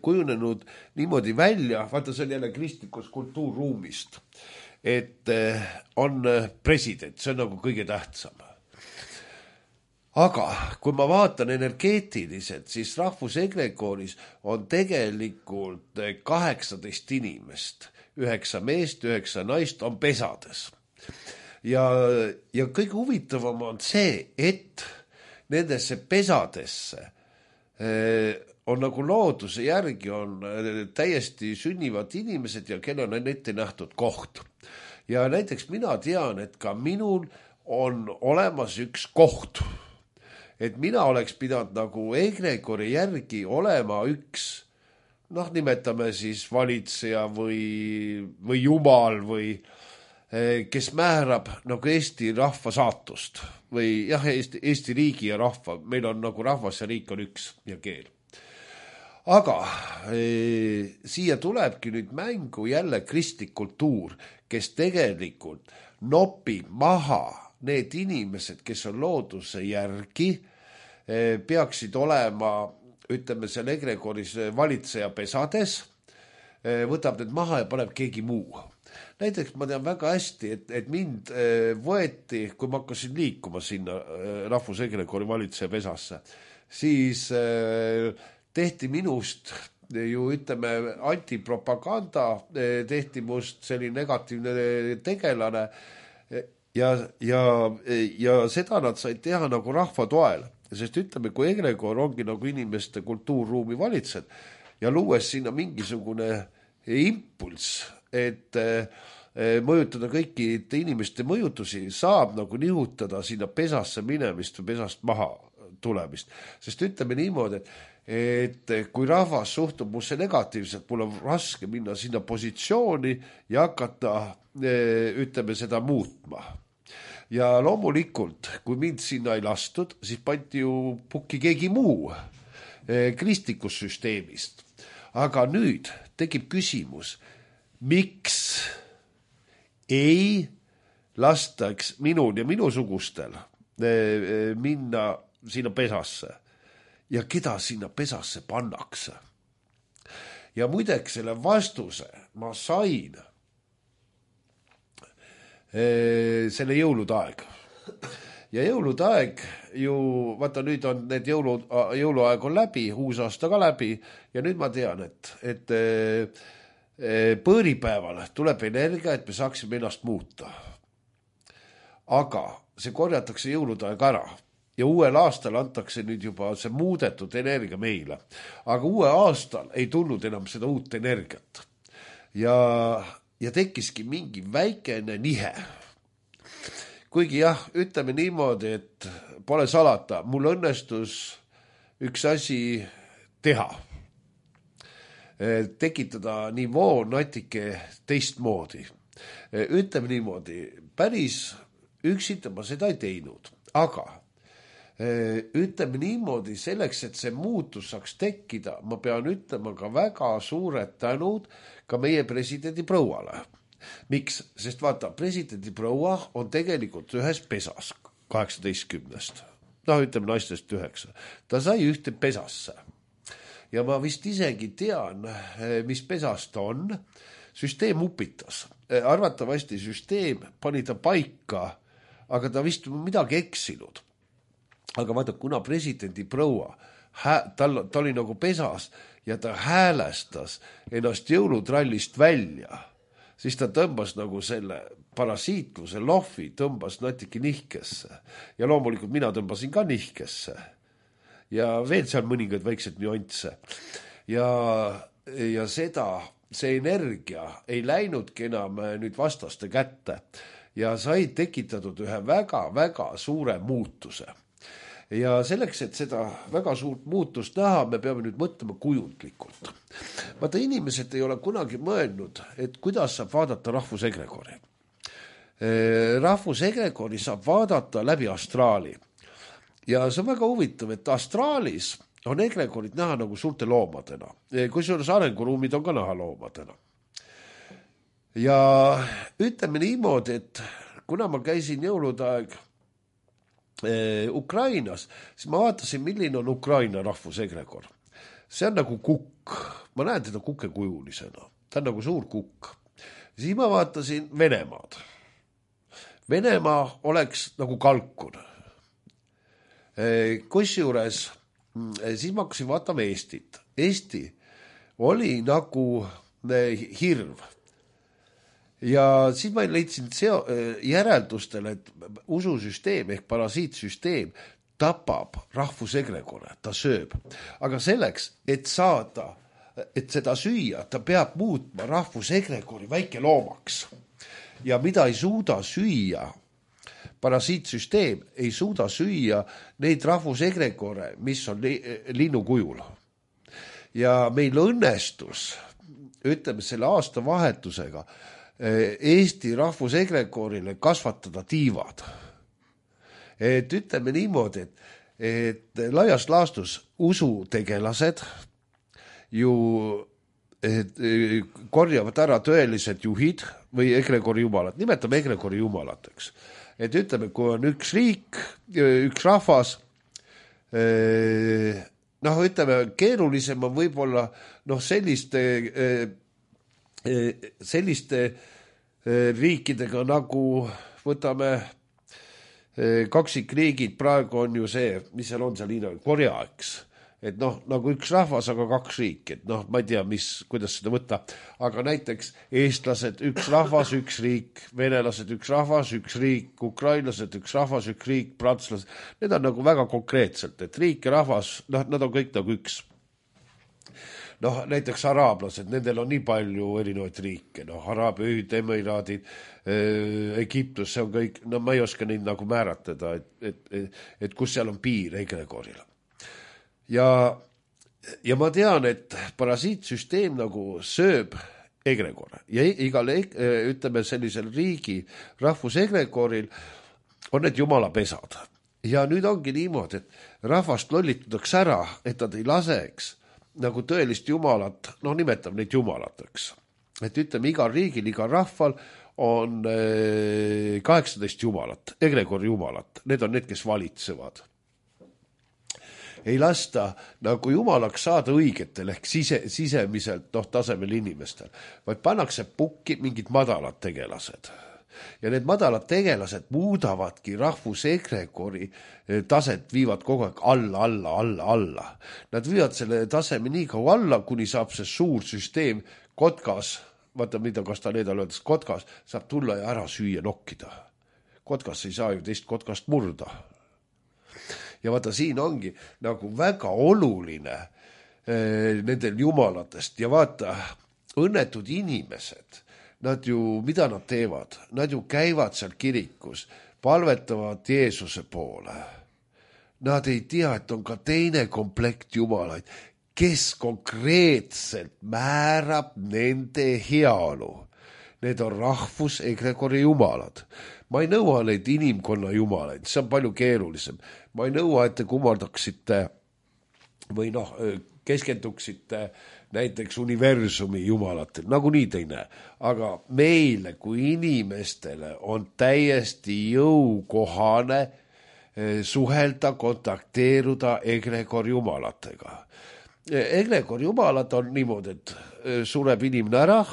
kujunenud niimoodi välja, vaata see on jälle kristlikus kultuurruumist, et on president, see on nagu kõige tähtsam. Aga kui ma vaatan energeetiliselt, siis rahvusegregooris on tegelikult 18 inimest, 9 meest, 9 naist on pesades. Ja kõige huvitavam on see, et nendesse pesadesse on nagu looduse järgi on täiesti sünnivad inimesed ja kellel on ette nähtud koht. Ja näiteks mina tean, et ka minul on olemas üks koht. Et mina oleks pidanud nagu egregori järgi olema üks, nimetame siis valitseja või jumal või kes määrab nagu Eesti rahva saatust või jah, Eesti riigi ja rahva, meil on nagu rahvas ja riik on üks ja keel. Aga siia tulebki nüüd mängu jälle kristlik kultuur, kes tegelikult nopib maha need inimesed, kes on looduse järgi, peaksid olema, ütleme, seal egregoris valitseja pesades, võtab need maha ja paneb keegi muu. Näiteks ma tean väga hästi, et mind võeti, kui ma hakkasin liikuma sinna rahvusegregori valitseja pesasse, siis tehti minust ju, ütleme, antipropaganda, tehti must selline negatiivne tegelane ja seda nad said teha nagu rahva toel. Sest ütleme, kui egregor ongi nagu inimeste kultuurruumi valitsed ja luues sinna mingisugune impulss, et mõjutada kõiki inimeste mõjutusi, saab nagu nihutada sinna pesasse minemist või pesast maha tulemist. Sest ütleme niimoodi, et kui rahvas suhtub musse negatiivselt, mul on raske minna sinna positsiooni ja hakata, ütleme, seda muutma. Ja loomulikult, kui mind sinna ei lastud, siis pandi ju pukki keegi muu kristlikus süsteemist. Aga nüüd tekib küsimus, miks ei lastaks minul ja minusugustel minna sinna pesasse ja keda sinna pesasse pannakse. Ja muideks selle vastuse ma sain selle jõulude aeg. Ja jõulude aeg ju, vaata nüüd on need jõuluaeg on läbi, uus aasta ka läbi ja nüüd ma tean, et põõripäeval tuleb energia, et me saaksime ennast muuta. Aga see korjatakse jõulude aeg ära ja uuel aastal antakse nüüd juba see muudetud energia meile. Aga uue aastal ei tulnud enam seda uut energiat. Ja tekkiski mingi väikene nihe. Kuigi jah, ütleme niimoodi, et pole salata, mul õnnestus üks asi teha. Tekitada nivoo natuke teistmoodi. Ütleme niimoodi, päris üksita ma seda ei teinud, aga ütleme niimoodi, selleks, et see muutus saaks tekkida, ma pean ütlema ka väga suured tänud ka meie presidendi prouale. Miks? Sest vaata, presidendi proua on tegelikult ühes pesas 18. Ütleme naistest 9. Ta sai ühte pesasse. Ja ma vist isegi tean, mis pesas ta on. Süsteem upitas. Arvatavasti süsteem pani ta paika, aga ta vist midagi eksinud. Aga vaata, kuna presidendi proua, ta oli nagu pesas ja ta häälestas ennast jõulutrallist välja, siis ta tõmbas nagu selle parasiitluse lohvi, tõmbas natuke nihkesse. Ja loomulikult mina tõmbasin ka nihkesse. Ja veel seal mõningad väiksed nüansse. Ja see energia ei läinudki enam nüüd vastaste kätte ja sai tekitatud ühe väga-väga suure muutuse. Ja selleks, et seda väga suurt muutust näha, me peame nüüd mõtlema kujundlikult. Vaata, inimesed ei ole kunagi mõelnud, et kuidas saab vaadata rahvusegregori. Rahvusegregori saab vaadata läbi astraali. Ja see on väga huvitav, et astraalis on egregorid näha nagu suurte loomadena. Kusjuures arenguruumid on ka näha loomadena. Ja ütleme niimoodi, et kuna ma käisin jõulude aeg Ukrainas, siis ma vaatasin, milline on Ukraina rahvusegregor. See on nagu kukk, ma näen teda kukekujulisena, ta on nagu suur kukk. Siis ma vaatasin Venemaad. Venemaa oleks nagu kalkun. Kusjuures siis ma hakkasin vaatama Eestit. Eesti oli nagu hirv. Ja siis ma leidsin järeldustele, et ususüsteem ehk parasiitsüsteem tapab rahvusegregore, ta sööb. Aga selleks, et seda süüa, ta peab muutma rahvusegregori väikeloomaks. Ja mida ei suuda süüa, parasiitsüsteem ei suuda süüa neid rahvusegregore, mis on linnukujul. Ja meil õnnestus, ütleme selle aasta vahetusega, Eesti rahvusegregorile kasvatada tiivad. Et ütleme niimoodi, et laias laastus usutegelased ju korjavad ära tõelised juhid või egregori jumalad. Nimetame egregori jumalateks. Et ütleme, kui on üks riik, üks rahvas, ütleme, keerulisem on võib-olla selliste riikidega nagu võtame kaksikriigid, praegu on ju see, mis seal on seal Hiina, Korea, eks. Et nagu üks rahvas, aga kaks riik, et ma ei tea, kuidas seda võtta, aga näiteks eestlased, üks rahvas, üks riik, venelased, üks rahvas, üks riik, ukrainlased, üks rahvas, üks riik, prantslased, need on nagu väga konkreetselt, et riik ja rahvas, nad on kõik nagu üks. Näiteks araablased, nendel on nii palju erinevaid riike, Araabia Ühinenud Emiraadid, Egiptus, see on kõik, ma ei oska neid nagu määratleda, et kus seal on piir egregoril. Ja ma tean, et parasiitsüsteem nagu sööb egregore ja igale, ütleme sellisel riigi rahvusegregoril on need jumalapesad. Ja nüüd ongi niimoodi, et rahvast lollitatakse ära, et nad ei laseks nagu tõelist jumalat, nimetab neid jumalateks. Et ütleme, igal riigil, igal rahval on 18 jumalat, egregori jumalat. Need on need, kes valitsevad. Ei lasta nagu jumalaks saada õigetel ehk sisemiselt tasemel inimestel, vaid pannakse pukki mingid madalad tegelased. Ja need madalad tegelased muudavadki rahvusegregori taset, viivad kogu aeg alla. Nad viivad selle taseme nii kaua alla, kuni saab see suur süsteem kotkas, vaata mida Castaneda öeldes, kotkas saab tulla ja ära süüa nokkida. Kotkas ei saa ju teist kotkast murda. Ja vaata, siin ongi nagu väga oluline nendel jumalatest ja vaata, õnnetud inimesed, nad ju, mida nad teevad? Nad ju käivad seal kirikus, palvetavad Jeesuse poole. Nad ei tea, et on ka teine komplekt jumalaid, kes konkreetselt määrab nende heaolu. Need on rahvusegregori jumalad. Ma ei nõua neid inimkonna jumalaid, see on palju keerulisem. Ma ei nõua, et te kummardaksite või keskenduksite näiteks universumi jumalatel, nagu nii te ei näe. Aga meile kui inimestele on täiesti jõukohane suhelda, kontakteeruda egregor jumalatega. Egregor jumalad on niimoodi, et sureb inimene ära,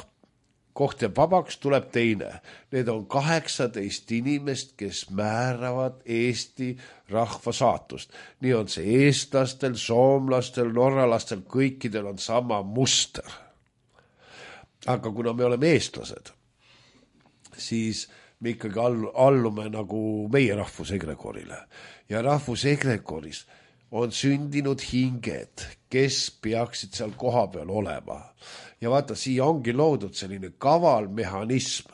koht jääb vabaks, tuleb teine. Need on 18 inimest, kes määravad Eesti rahva saatust. Nii on see eestlastel, soomlastel, norralastel, kõikidel on sama muster. Aga kuna me oleme eestlased, siis me ikkagi allume nagu meie rahvusegregorile. Ja rahvusegregoris on sündinud hinged, kes peaksid seal koha peal olema. Ja vaata, siia ongi loodud selline kaval mehhanism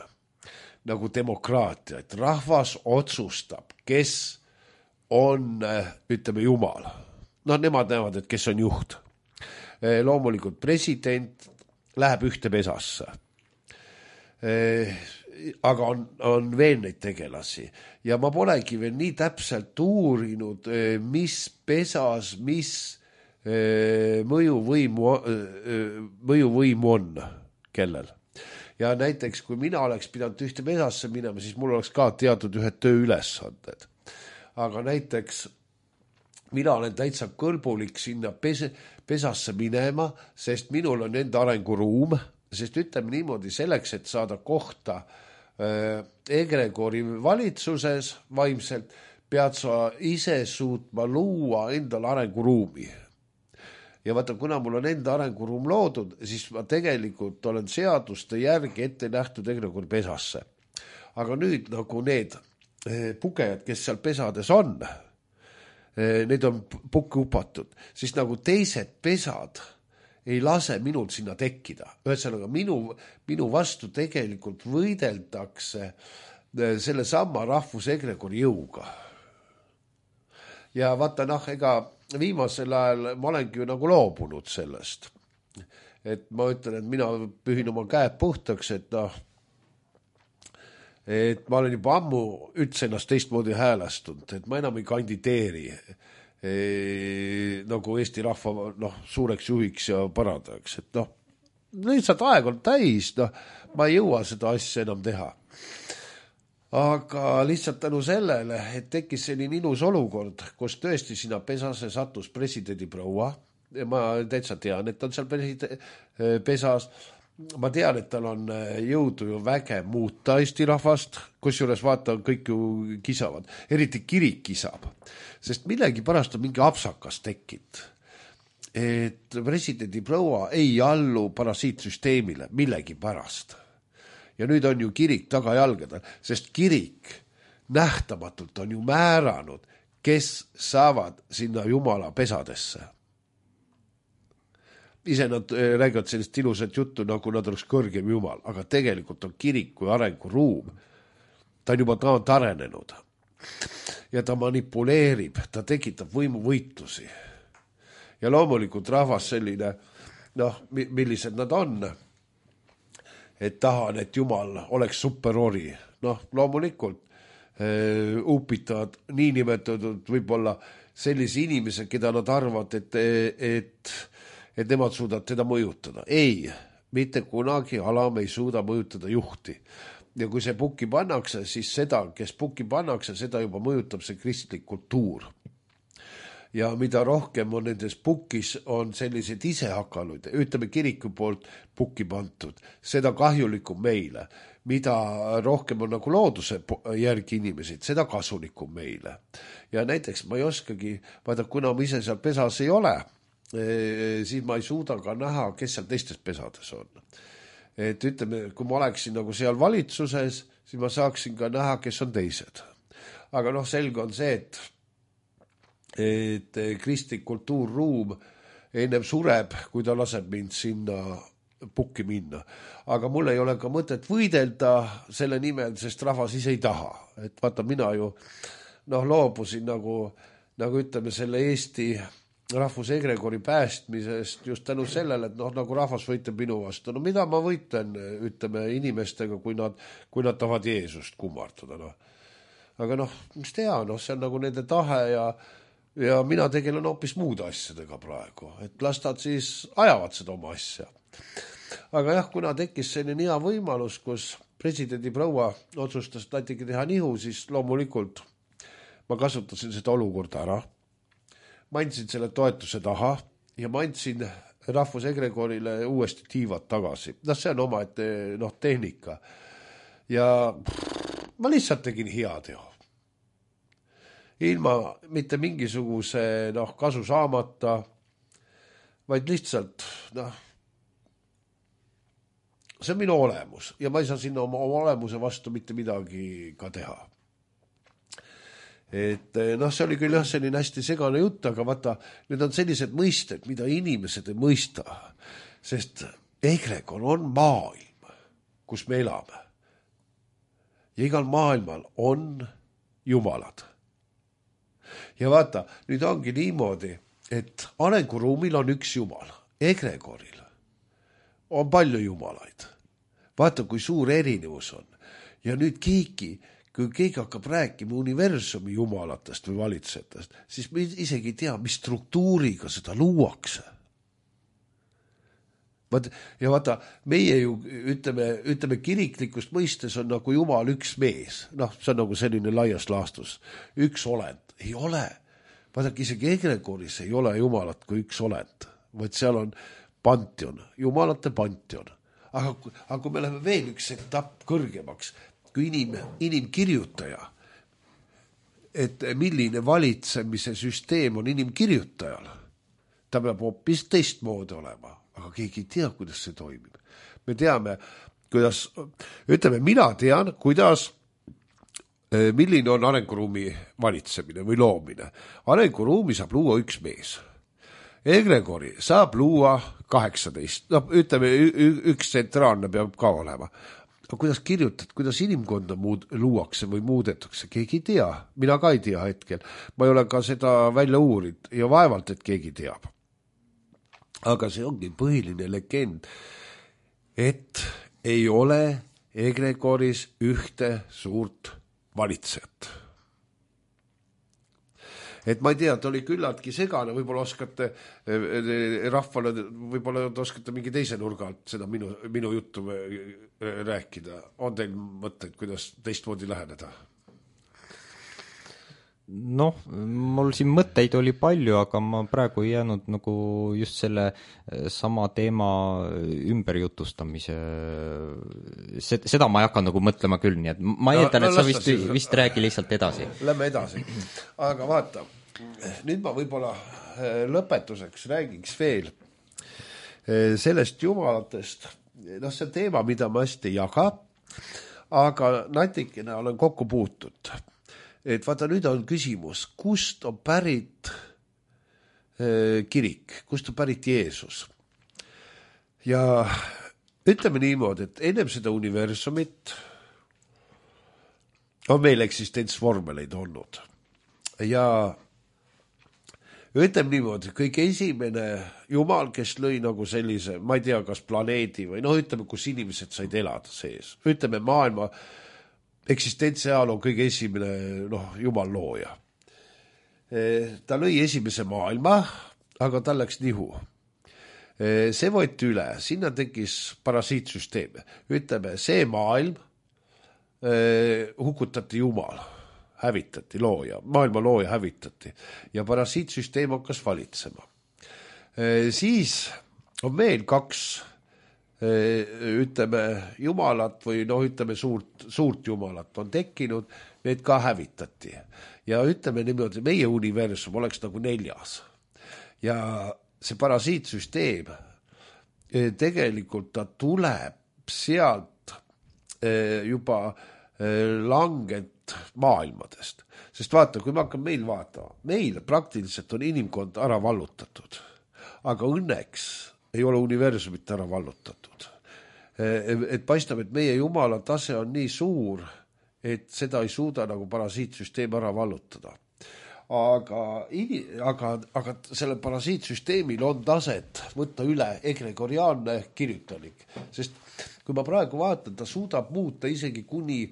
nagu demokraatia, et rahvas otsustab, kes on, ütleme, jumal. Nemad näevad, et kes on juht. Loomulikult president läheb ühte pesasse. Aga on veel neid tegelasi. Ja ma polegi veel nii täpselt uurinud, mis pesas, mis mõjuvõimu on kellel. ja näiteks kui mina oleks pidanud ühte pesasse minema, siis mul oleks ka teatud ühed tööülesanded. Aga näiteks mina olen täitsa kõlbulik sinna pesasse minema, sest minul on enda arenguruum, sest ütleme niimoodi, selleks, et saada kohta egregori valitsuses vaimselt, pead sa ise suutma luua endale arenguruumi. Ja vaata, kuna mul on enda arenguruum loodud, siis ma tegelikult olen seaduste järgi ette nähtud egregori pesasse. Aga nüüd nagu need pugejad, kes seal pesades on, need on pukki upatud, siis nagu teised pesad ei lase minul sinna tekkida. Ühesõnaga, minu vastu tegelikult võideldakse selle sama rahvusegregori jõuga. Ja vaata, ega viimasel ajal ma olengi ju nagu loobunud sellest. Et ma ütlen, et mina pühin oma käed puhtaks, et ma olen juba ammu üldse ennast teistmoodi häälestunud, et ma enam ei kandideeri nagu Eesti rahva suureks juhiks ja parandajaks. Et lihtsalt aeg on täis, ma ei jõua seda asja enam teha. Aga lihtsalt tänu sellele, et tekkis selline ilus olukord, kus tõesti sinna pesase sattus presidendi proua. Ja ma täitsa tean, et on seal pesas. Ma tean, et tal on jõudu ju väge muuta Eesti rahvast, kusjuures vaata, kõik ju kisavad. Eriti kirik kisab, sest millegi pärast on mingi apsakas tekkinud. Et presidendi proua ei allu parasiitsüsteemile millegi pärast. Ja nüüd on ju kirik tagajalgadel, sest kirik nähtamatult on ju määranud, kes saavad sinna Jumala pesadesse. Ise nad räägivad sellist ilusat juttu, nagu nad oleks kõrgem Jumal, aga tegelikult on kirik kui arenguruum. Ta on juba arenenud ja ta manipuleerib, ta tekitab võimuvõitlusi. Ja loomulikult rahvas selline, millised nad on, et tahan, et Jumal oleks superori. Loomulikult upitavad niinimetatud võib-olla sellise inimese, keda nad arvavad, et nemad suudavad teda mõjutada. Ei, mitte kunagi alam ei suuda mõjutada juhti. Ja kui see pukki pannakse, siis seda, kes pukki pannakse, seda juba mõjutab see kristlik kultuur. Ja mida rohkem on nendes pukkis, on sellised isehakaluid, ütleme kiriku poolt pukki pantud, seda kahjulikum meile. Mida rohkem on nagu looduse järgi inimesed, seda kasulikum meile. Ja näiteks ma ei oskagi, vaata, kuna ma ise seal pesas ei ole, siis ma ei suuda ka näha, kes seal teistes pesades on. Et ütleme, kui ma oleksin nagu seal valitsuses, siis ma saaksin ka näha, kes on teised. Aga selge on see, et kristlik kultuurruum ennem sureb, kui ta laseb mind sinna pukki minna. Aga mul ei ole ka mõtet võidelda selle nimel, sest rahvas ise ei taha. Et vaata, mina ju loobusin nagu ütleme selle Eesti rahvusegregori päästmisest just tänu sellele, et nagu rahvas võitleb minu vastu. Mida ma võitlen, ütleme, inimestega, kui nad tahavad Jeesust kummardada. Aga mis tea, see on nagu nende tahe ja mina tegelen hoopis muude asjadega praegu, et las nad siis ajavad seda oma asja. Aga jah, kuna tekkis selline hea võimalus, kus presidendi proua otsustas natuke teha nihu, siis loomulikult ma kasutasin seda olukorda ära. Ma andsin selle toetuse taha ja ma andsin rahvusegregorile uuesti tiivad tagasi. See on oma tehnika. Ja ma lihtsalt tegin hea teo. Ilma mitte mingisuguse kasu saamata, vaid lihtsalt see on minu olemus ja ma ei saa sinna oma olemuse vastu mitte midagi ka teha. Et see oli küll selline hästi segane jutt, aga vaata, need on sellised mõisted, mida inimesed ei mõista, sest egregor on maailm, kus me elame. Ja igal maailmal on jumalad. Ja vaata, nüüd ongi niimoodi, et arenguruumil on üks jumal, egregoril on palju jumalaid. Vaata, kui suur erinevus on. Ja nüüd kui keegi hakkab rääkima universumi jumalatest või valitsejatest, siis me isegi ei tea, mis struktuuriga seda luuakse. ja vaata, meie ju ütleme kiriklikust mõistes on nagu Jumal üks mees, see on nagu selline laias laastus, üks olend, ei ole. Vaadake, isegi Egregoris ei ole Jumalat kui üks olend, vaid seal on pantion, Jumalate pantion. Aga kui me läheme veel üks etapp kõrgemaks, kui inimkirjutaja, et milline valitsemise süsteem on inimkirjutajal, ta peab hoopis teistmoodi olema, aga keegi ei tea, kuidas see toimib. Me teame, kuidas, mina tean, kuidas, milline on arenguruumi valitsemine või loomine. Arenguruumi saab luua üks mees. Egregori saab luua 18, üks tsentraalne peab ka olema. Aga kuidas kirjutad, kuidas inimkonda luuakse või muudetakse, keegi ei tea. Mina ka ei tea hetkel. Ma ei ole ka seda välja uurid ja vaevalt, et keegi teab. Aga see ongi põhiline legend, et ei ole Egregoris ühte suurt valitsejat. Et ma ei tea, ta oli küllaltki segane, võib-olla oskate rahvale, võib-olla oskate mingi teise nurga alt seda minu juttu rääkida. On teil mõtteid, kuidas teistmoodi läheneda? Mul siin mõtteid oli palju, aga ma praegu ei jäänud nagu just selle sama teema ümberjutustamise, seda ma ei hakka nagu mõtlema küll, nii et ma eeldan, et sa vist räägi lihtsalt edasi. Lähme edasi, aga vaata, nüüd ma võib-olla lõpetuseks räägiks veel sellest jumalatest, see teema, mida ma hästi ei jaga, aga natikene olen kokku puutud. Et vaata, nüüd on küsimus, kust on pärit kirik, kust on pärit Jeesus. Ja ütleme niimoodi, et ennem seda universumit on meil eksistentsvormeleid olnud. Ja ütleme niimoodi, kõige esimene Jumal, kes lõi nagu sellise, ma ei tea, kas planeedi või ütleme, kus inimesed said elada sees. Ütleme maailma eksistentsiaal on kõige esimene Jumal looja. Ta lõi esimese maailma, aga tal läks nihu. See võeti üle, sinna tekkis parasiitsüsteem. Ütleme, see maailm hukutati Jumal, hävitati looja, maailma looja hävitati ja parasiitsüsteem hakkas valitsema. Siis on meil kaks ütleme Jumalat või ütleme suurt Jumalat on tekkinud, need ka hävitati. Ja ütleme niimoodi, meie universum oleks nagu 4. Ja see parasiitsüsteem tegelikult ta tuleb sealt juba langet maailmadest. Sest vaata, kui me hakkame meil vaatama, meil praktiliselt on inimkond ära vallutatud, aga õnneks ei ole universumit ära vallutatud. Et paistab, et meie Jumala tase on nii suur, et seda ei suuda nagu parasiitsüsteem ära vallutada. Aga selle parasiitsüsteemil on taset võtta üle egregoriaalne kirjutalik. Sest kui ma praegu vaatan, ta suudab muuta isegi kuni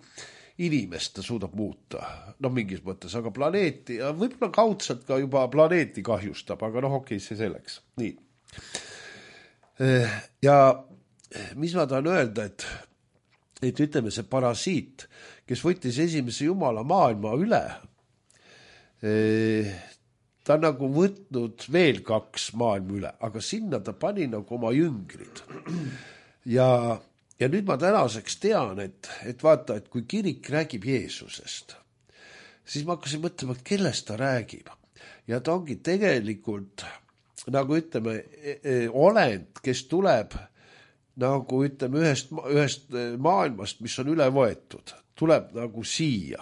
inimest ta suudab muuta. Mingis mõttes, aga planeeti, ja võib-olla kaudselt ka juba planeeti kahjustab, aga okei, see selleks. Nii. Ja mis ma tahan öelda, et ütleme see parasiit, kes võttis esimese Jumala maailma üle, ta nagu võtnud veel 2 maailma üle, aga sinna ta pani nagu oma jüngrid. Ja nüüd ma tänaseks tean, et vaata, et kui kirik räägib Jeesusest, siis ma hakkasin mõtlema, et kellest ta räägib. Ja ta ongi tegelikult nagu ütleme, olend, kes tuleb nagu ütleme ühest maailmast, mis on üle võetud, tuleb nagu siia.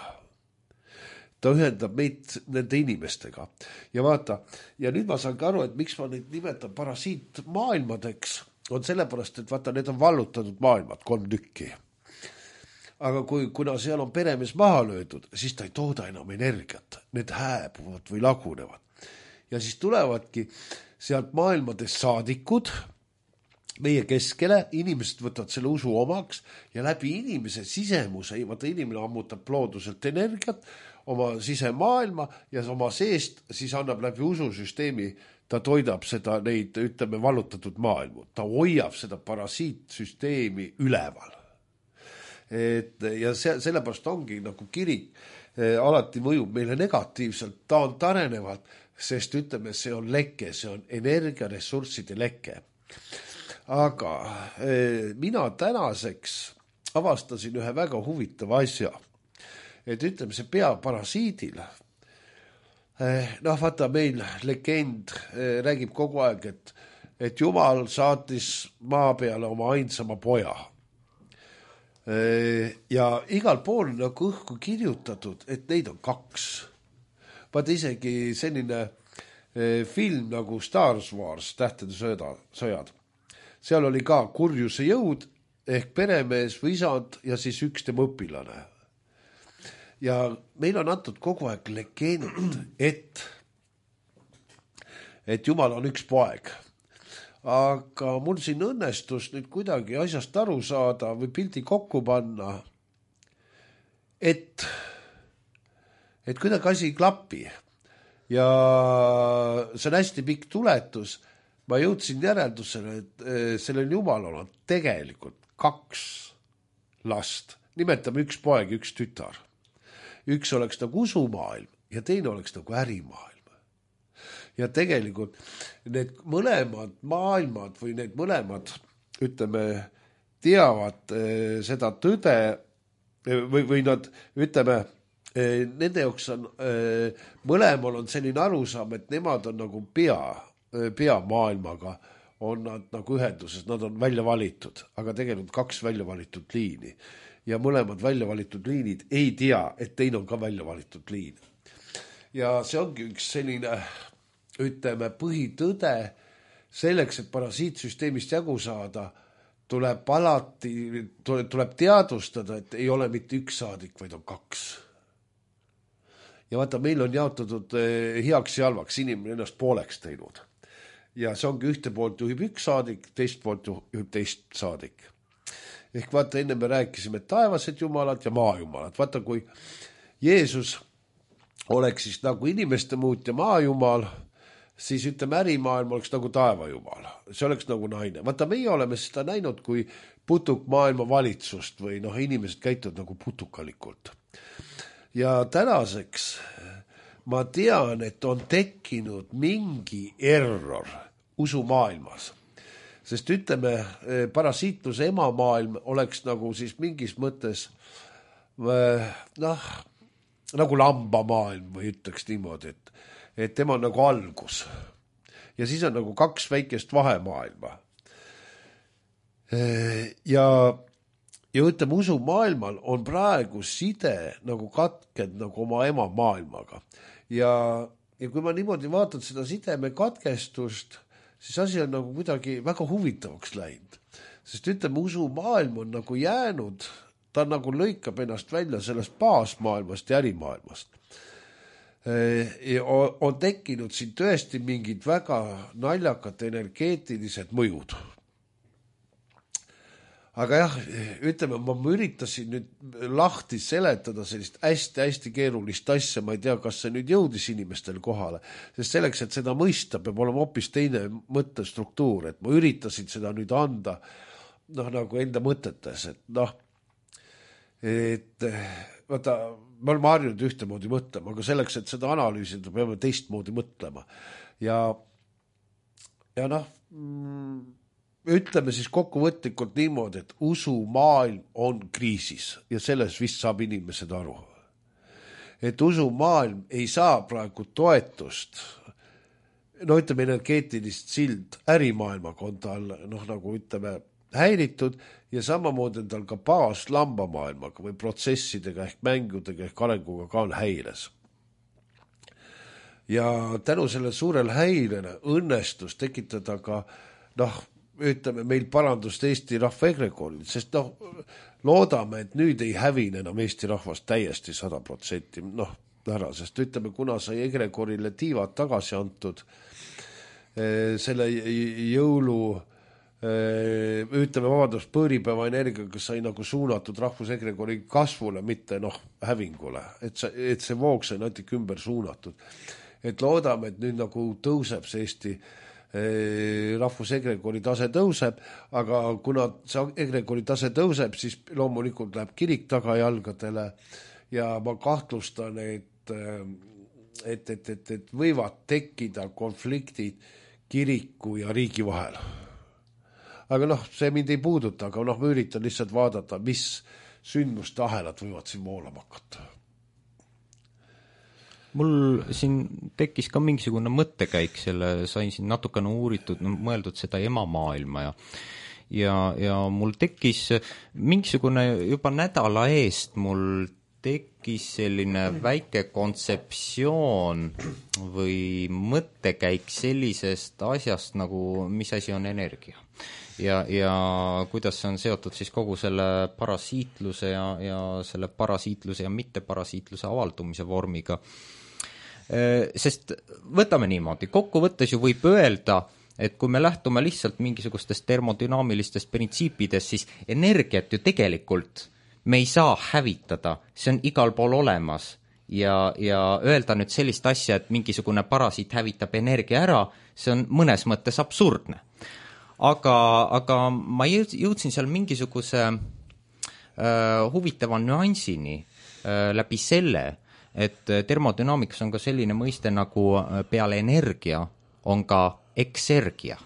Ta ühendab meid nende inimestega. Ja vaata, ja nüüd ma saan ka aru, et miks ma neid nimetan parasiit maailmadeks, on sellepärast, et vaata, need on vallutatud maailmad, 3 tükki. Aga kuna seal on peremees maha löödud, siis ta ei tooda enam energiat. Need hääbuvad või lagunevad. Ja siis tulevadki sealt maailmadest saadikud meie keskele, inimesed võtavad selle usu omaks ja läbi inimese sisemuse, vaata inimene ammutab looduselt energiat oma sisemaailma ja oma seest siis annab läbi ususüsteemi ta toidab seda neid, ütleme, vallutatud maailmu, ta hoiab seda parasiitsüsteemi üleval. Ja sellepärast ongi nagu kirik alati mõjub meile negatiivselt, ta on tarenevalt, sest ütleme, see on leke, see on energiaressursside leke. Aga mina tänaseks avastasin ühe väga huvitava asja, et ütleme, see peaparasiidil, vaata meil legend räägib kogu aeg, et Jumal saatis maa peale oma ainsama poja. Ja igal pool nagu õhku kirjutatud, et neid on 2. Vaata isegi selline film nagu Star Wars, Tähtede sõjad. Seal oli ka kurjuse jõud ehk peremees või isand ja siis üks tema õpilane. Ja meil on antud kogu aeg legend, et Jumal on üks poeg. Aga mul siin õnnestus nüüd kuidagi asjast aru saada või pildi kokku panna, et kuidagi asi ei klapi. Ja see on hästi pikk tuletus. Ma jõudsin järeldusele, et sellel Jumalal on tegelikult 2 last. Nimetame üks poeg, üks tütar. Üks oleks nagu usumaailm ja teine oleks nagu ärimaailm. Ja tegelikult need mõlemad maailmad või need mõlemad, ütleme, teavad seda tõde või nad, ütleme, nende jaoks on, mõlemal on selline arusaam, et nemad on nagu peamaailmaga on nad nagu ühenduses, nad on välja valitud, aga tegelikult 2 välja valitud liini. Ja mõlemad välja valitud liinid ei tea, et teine on ka välja valitud liin. Ja see ongi üks selline, ütleme, põhitõde selleks, et parasiitsüsteemist jagu saada, tuleb teadvustada, et ei ole mitte üks saadik, vaid on 2. Ja vaata, meil on jaotatud heaks ja halvaks, inimene ennast pooleks teinud. Ja see ongi ühte poolt juhib üks saadik, teist poolt juhib teist saadik. Ehk vaata, enne me rääkisime taevased jumalad ja maajumalad. Vaata, kui Jeesus oleks siis nagu inimeste muutja maajumal, siis ütleme, ärimaailm oleks nagu taevajumal. See oleks nagu naine. Vaata, meie oleme seda näinud kui putukmaailma valitsust või inimesed käituvad nagu putukalikult. Ja tänaseks ma tean, et on tekkinud mingi error usumaailmas. Sest ütleme, parasiitluse emamaailm oleks nagu siis mingis mõttes nagu lambamaailm või ütleks niimoodi, et tema on nagu algus. Ja siis on nagu 2 väikest vahemaailma. Ja ütleme, usumaailmal on praegu side nagu katked nagu oma emamaailmaga. Ja kui ma niimoodi vaatan seda sideme katkestust, siis asi on nagu kuidagi väga huvitavaks läinud. Sest ütleme, usumaailm on nagu jäänud, ta nagu lõikab ennast välja sellest baasmaailmast ja ärimaailmast. On tekkinud siin tõesti mingid väga naljakad energeetilised mõjud. Aga jah, ütleme, ma üritasin nüüd lahti seletada sellist hästi keerulist asja, ma ei tea, kas see nüüd jõudis inimestel kohale, sest selleks, et seda mõista, peab olema hoopis teine mõttestruktuur, et ma üritasin seda nüüd anda nagu enda mõtetes, et vaata, me oleme harjunud ühtemoodi mõtlema, aga selleks, et seda analüüsida, peame teistmoodi mõtlema. Ja ütleme siis kokkuvõtlikult niimoodi, et usumaailm on kriisis ja selles vist saab inimesed aru. Et usumaailm ei saa praegu toetust, ütleme, energeetilist sild ärimaailmaga on tal nagu ütleme häiritud ja samamoodi on tal ka baas lambamaailmaga või protsessidega ehk mängudega ehk arenguga ka on häires. Ja tänu selle suurel häirele õnnestus tekitada ka ütleme, meil parandust Eesti rahva egregooril, sest loodame, et nüüd ei hävine enam Eesti rahvast täiesti 100% ära, sest ütleme, kuna sai egregoorile tiivad tagasi antud selle jõulu, ütleme, pööripäeva energiaga sai nagu suunatud rahvusegregoori kasvule, mitte hävingule, et see voog sai natuke ümber suunatud. et loodame, et nüüd nagu tõuseb see Eesti rahvusegrekoori tase tõuseb, aga kuna see egrekoori tase tõuseb, siis loomulikult läheb kirik tagajalgadele ja ma kahtlustan, et võivad tekkida konfliktid kiriku ja riigi vahel. Aga see mind ei puuduta, aga ma üritan lihtsalt vaadata, mis sündmuste ahelad võivad siin voolama hakata. Mul siin tekkis ka mingisugune mõttekäik sain siin natukene uuritud, mõeldud seda emamaailma ja mul tekkis mingisugune juba nädala eest mul tekkis selline väike kontseptsioon või mõttekäik sellisest asjast nagu, mis asi on energia. Ja kuidas see on seotud siis kogu selle parasiitluse ja selle parasiitluse ja mitteparasiitluse avaldumise vormiga. Sest võtame niimoodi, kokkuvõttes ju võib öelda, et kui me lähtume lihtsalt mingisugustest termodünaamilistest printsiipidest, siis energiat ju tegelikult me ei saa hävitada, see on igal pool olemas ja öelda nüüd sellist asja, et mingisugune parasiit hävitab energia ära, see on mõnes mõttes absurdne. Aga ma jõudsin seal mingisuguse huvitava nüansini läbi selle, et termodünaamikas on ka selline mõiste nagu peale energia on ka eksergia,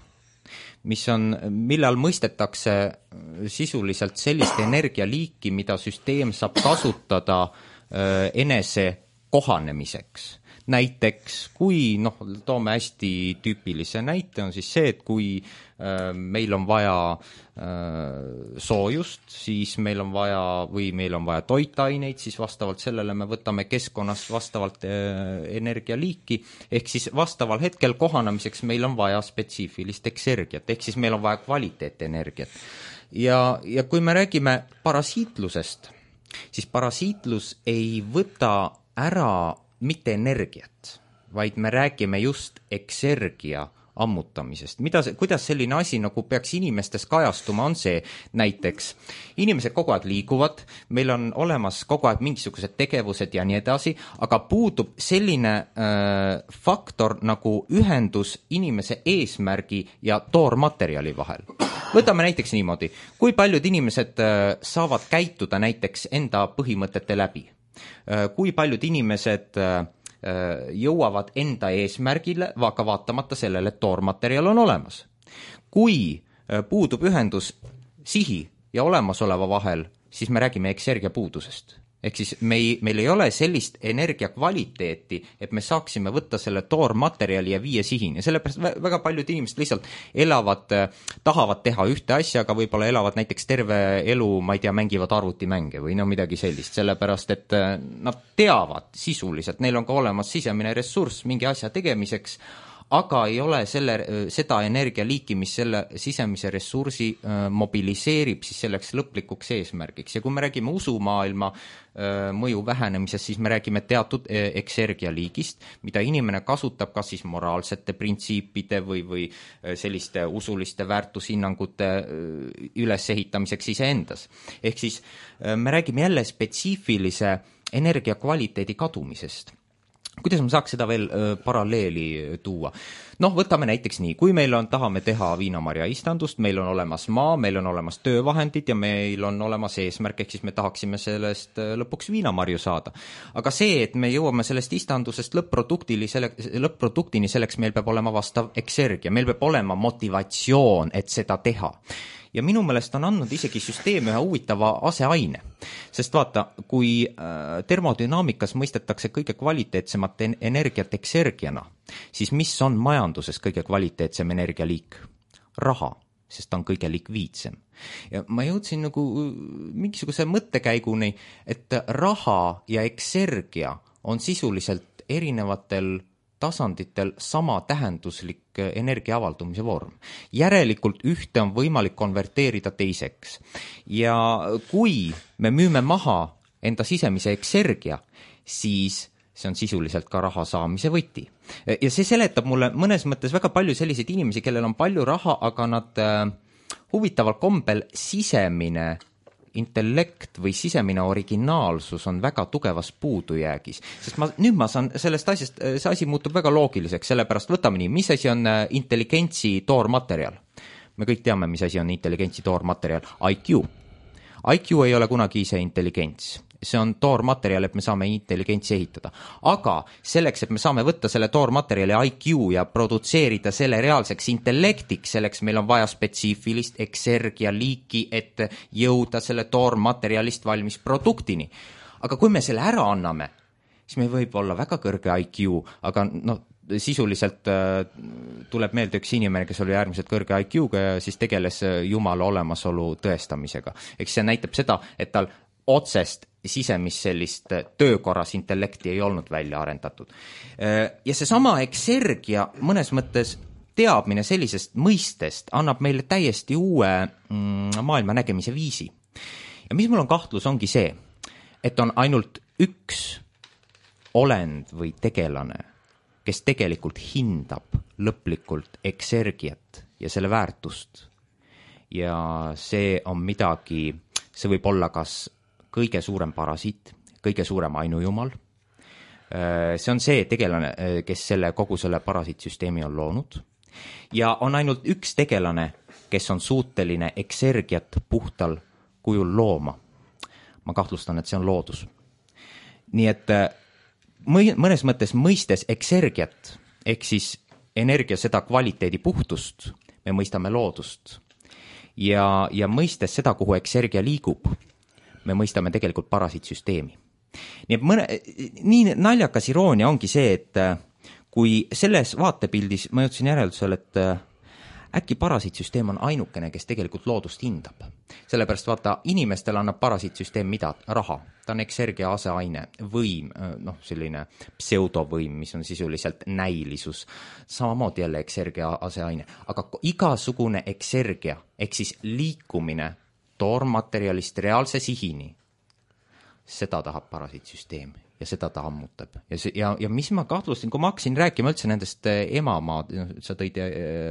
millal mõistetakse sisuliselt sellist energialiiki, mida süsteem saab kasutada enese kohanemiseks. Näiteks, kui, toome hästi tüüpilise näite, on siis see, et kui meil on vaja soojust, siis meil on vaja toitaineid, siis vastavalt sellele me võtame keskkonnast vastavalt energialiiki, ehk siis vastaval hetkel kohanemiseks meil on vaja spetsiifilist eksergiat, ehk siis meil on vaja kvaliteetenergiat. Ja kui me räägime parasiitlusest, siis parasiitlus ei võta ära mitte energiat, vaid me räägime just eksergia ammutamisest. Kuidas selline asi nagu peaks inimestes kajastuma, on see näiteks. Inimesed kogu aeg liiguvad, meil on olemas kogu aeg mingisugused tegevused ja nii edasi, aga puudub selline faktor nagu ühendus inimese eesmärgi ja toormaterjali vahel. Võtame näiteks niimoodi, kui paljud inimesed saavad käituda näiteks enda põhimõtete läbi. Kui paljud inimesed jõuavad enda eesmärgile, aga vaatamata sellele, et toormaterjal on olemas. Kui puudub ühendus sihi ja olemasoleva vahel, siis me räägime eksergia puudusest. Ehk siis meil ei ole sellist energia kvaliteeti, et me saaksime võtta selle toormaterjali ja viia sihini. Sellepärast väga paljud inimesed lihtsalt tahavad teha ühte asja, aga võib-olla elavad näiteks terve elu, mängivad arvutimänge või midagi sellist. Sellepärast, et nad teavad sisuliselt, neil on ka olemas sisemine ressurss mingi asja tegemiseks, aga ei ole seda energialiiki, mis selle sisemise ressursi mobiliseerib siis selleks lõplikuks eesmärgiks. Ja kui me räägime usumaailma mõju vähenemisest, siis me räägime teatud eksergialiigist, mida inimene kasutab kas siis moraalsete printsiipide või selliste usuliste väärtushinnangute ülesehitamiseks iseendas. Ehk siis me räägime jälle spetsiifilise energiakvaliteedi kadumisest. Kuidas me saaks seda veel paralleeli tuua? Võtame näiteks nii, kui meil tahame teha viinamarja istandust, meil on olemas maa, meil on olemas töövahendid ja meil on olemas eesmärk, ehk siis me tahaksime sellest lõpuks viinamarju saada. Aga see, et me jõuame sellest istandusest lõpp-produktini, selleks meil peab olema vastav eksergia, meil peab olema motivatsioon, et seda teha. Ja minu meelest on andnud isegi süsteem ühe huvitava aseaine. Sest vaata, kui termodünaamikas mõistetakse kõige kvaliteetsemat energiat eksergiana, siis mis on majanduses kõige kvaliteetsem energialiik? Raha, sest ta on kõige likviidsem. Ja ma jõudsin nagu mingisuguse mõttekäiguni, et raha ja eksergia on sisuliselt erinevatel tasanditel sama tähenduslik energia avaldumise vorm. Järelikult ühte on võimalik konverteerida teiseks. Ja kui me müüme maha enda sisemise eksergia, siis see on sisuliselt ka raha saamise võti. Ja see seletab mulle mõnes mõttes väga palju selliseid inimesi, kellel on palju raha, aga nad huvitaval kombel sisemine intellekt või sisemine originaalsus on väga tugevas puudujäägis. Sest nüüd ma saan sellest asjast, see asi muutub väga loogiliseks, sellepärast võtame nii, mis asi on intelligentsi toormaterjal? Me kõik teame, mis asi on intelligentsi toormaterjal. IQ. IQ ei ole kunagi ise intelligents. See on toormaterjal, et me saame intelligentsi ehitada. Aga selleks, et me saame võtta selle toormaterjali IQ ja produtseerida selle reaalseks intellektiks, selleks meil on vaja spetsiifilist eksergia liiki, et jõuda selle toormaterjalist valmis produktini. Aga kui me selle ära anname, siis meil võib olla väga kõrge IQ, aga sisuliselt tuleb meelde üks inimene, kes oli äärmiselt kõrge IQ-ga ja siis tegeles Jumala olemasolu tõestamisega. Eks see näitab seda, et tal otsest sisemist sellist töökorras intellekti ei olnud välja arendatud. Ja seesama eksergia mõnes mõttes teadmine sellisest mõistest annab meile täiesti uue maailma nägemise viisi. Ja mis mul on kahtlus, ongi see, et on ainult üks olend või tegelane, kes tegelikult hindab lõplikult eksergiat ja selle väärtust. Ja see on midagi, see võib olla kas kõige suurem parasiit, kõige suurem ainujumal. See on see tegelane, kes kogu selle parasiitsüsteemi on loonud. Ja on ainult üks tegelane, kes on suuteline eksergiat puhtal kujul looma. Ma kahtlustan, et see on loodus. Nii et mõnes mõttes mõistes eksergiat, ehk siis energia seda kvaliteedi puhtust, me mõistame loodust. Ja mõistes seda, kuhu eksergia liigub, me mõistame tegelikult parasiitsüsteemi. Nii naljakas iroonia ongi see, et kui selles vaatepildis ma jõudsin järeldusel, et äkki parasiitsüsteem on ainukene, kes tegelikult loodust hindab. Sellepärast vaata, inimestel annab parasiitsüsteem mida? Raha. Ta on eksergia aseaine, võim, selline pseudovõim, mis on sisuliselt näilisus. Samamoodi jälle eksergia aseaine. Aga igasugune eksergia, ehk siis liikumine toormaterjalist reaalse sihini, seda tahab parasiitsüsteem ja seda ta ammutab. Ja mis ma kahtlustin, kui ma hakkasin rääkima üldse nendest emamaa, sa tõid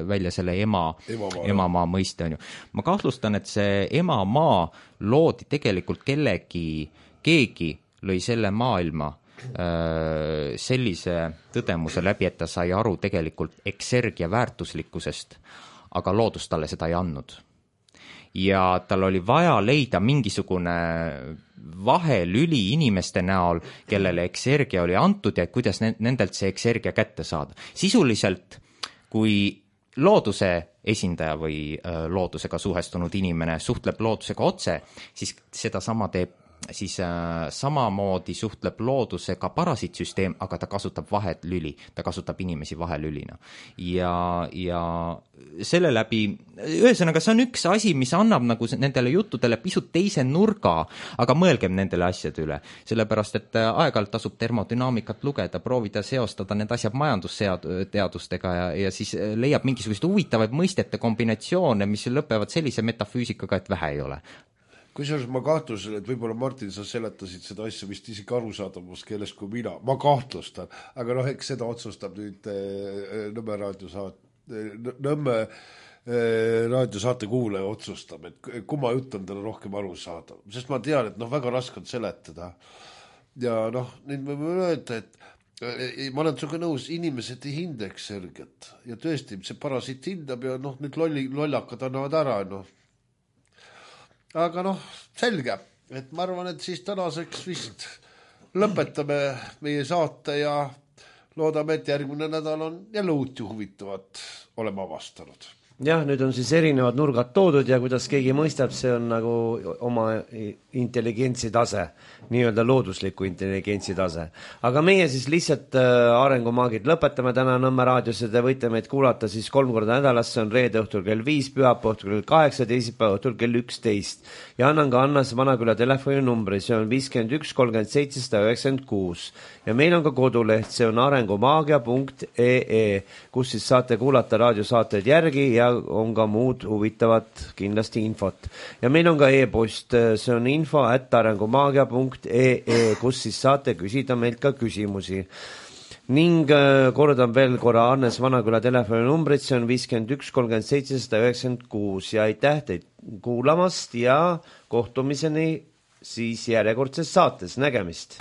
välja selle emamaa mõiste, on ju. Ma kahtlustan, et see emamaa loodi tegelikult keegi lõi selle maailma sellise tõdemuse läbi, et ta sai aru tegelikult eksergia väärtuslikkusest, aga loodus talle seda ei andnud. Ja tal oli vaja leida mingisugune vahelüli inimeste näol, kellele eksergia oli antud ja kuidas nendelt see eksergia kätte saada. Sisuliselt, kui looduse esindaja või loodusega suhestunud inimene suhtleb loodusega otse, siis seda sama teeb siis samamoodi suhtleb loodusega parasiitsüsteem, aga ta kasutab vahelüli, ta kasutab inimesi vahelülina. Ja selle läbi, ühesõnaga see on üks asi, mis annab nagu nendele juttudele pisut teise nurga, aga mõelgem nendele asjade üle. Sellepärast, et aeg-ajalt tasub termodünaamikat lugeda, proovida seostada need asjad majandusteadustega ja siis leiab mingisugused huvitavaid mõistete kombinatsioone, mis lõpevad sellise metafüüsikaga, et vähe ei ole. Kusjuures ma kahtlusel, et võib-olla Martin, sa seletasid seda asja vist isegi arusaadamas keeles kui mina. Ma kahtlustan, aga eks seda otsustab nüüd Nõmme raadiosaate kuulaja otsustab, et kumma jutt on talle rohkem aru saada. Sest ma tean, et väga raske on seletada. Ja nüüd me võime öelda, et ma olen sinuga nõus, inimesed ei hinda eksergiat. Ja tõesti, see parasiit hindab ja nüüd lollakad annavad ära, Aga selge, et ma arvan, et siis tänaseks vist lõpetame meie saate ja loodame, et järgmine nädal on jälle uut ja huvitavat olema avastanud. Jah, nüüd on siis erinevad nurgad toodud ja kuidas keegi mõistab, see on nagu oma intelligentsi tase, nii-öelda loodusliku intelligentsi tase. Aga meie siis lihtsalt arengumaagid lõpetame täna Nõmme raadios ja te võite meid kuulata siis 3 korda nädalas, see on reede õhtul kell 5, pühapäeva õhtul kell 8, teisipäeva õhtul kell 11. Ja annan ka Annas Vanaküla telefoninumbri, see on 51 37 196. Ja meil on ka koduleht, see on arengumaagia.ee, kus siis saate kuulata raadiosaateid järgi ja on ka muud huvitavat kindlasti infot. Ja meil on ka e-post, see on info@arengumaagia.ee, kus siis saate küsida meilt ka küsimusi. ning kordan veel korra Hannes Vanaküla telefoninumbrit, see on 51 37 196 ja aitäh teid kuulamast ja kohtumiseni siis järjekordses saates, nägemist!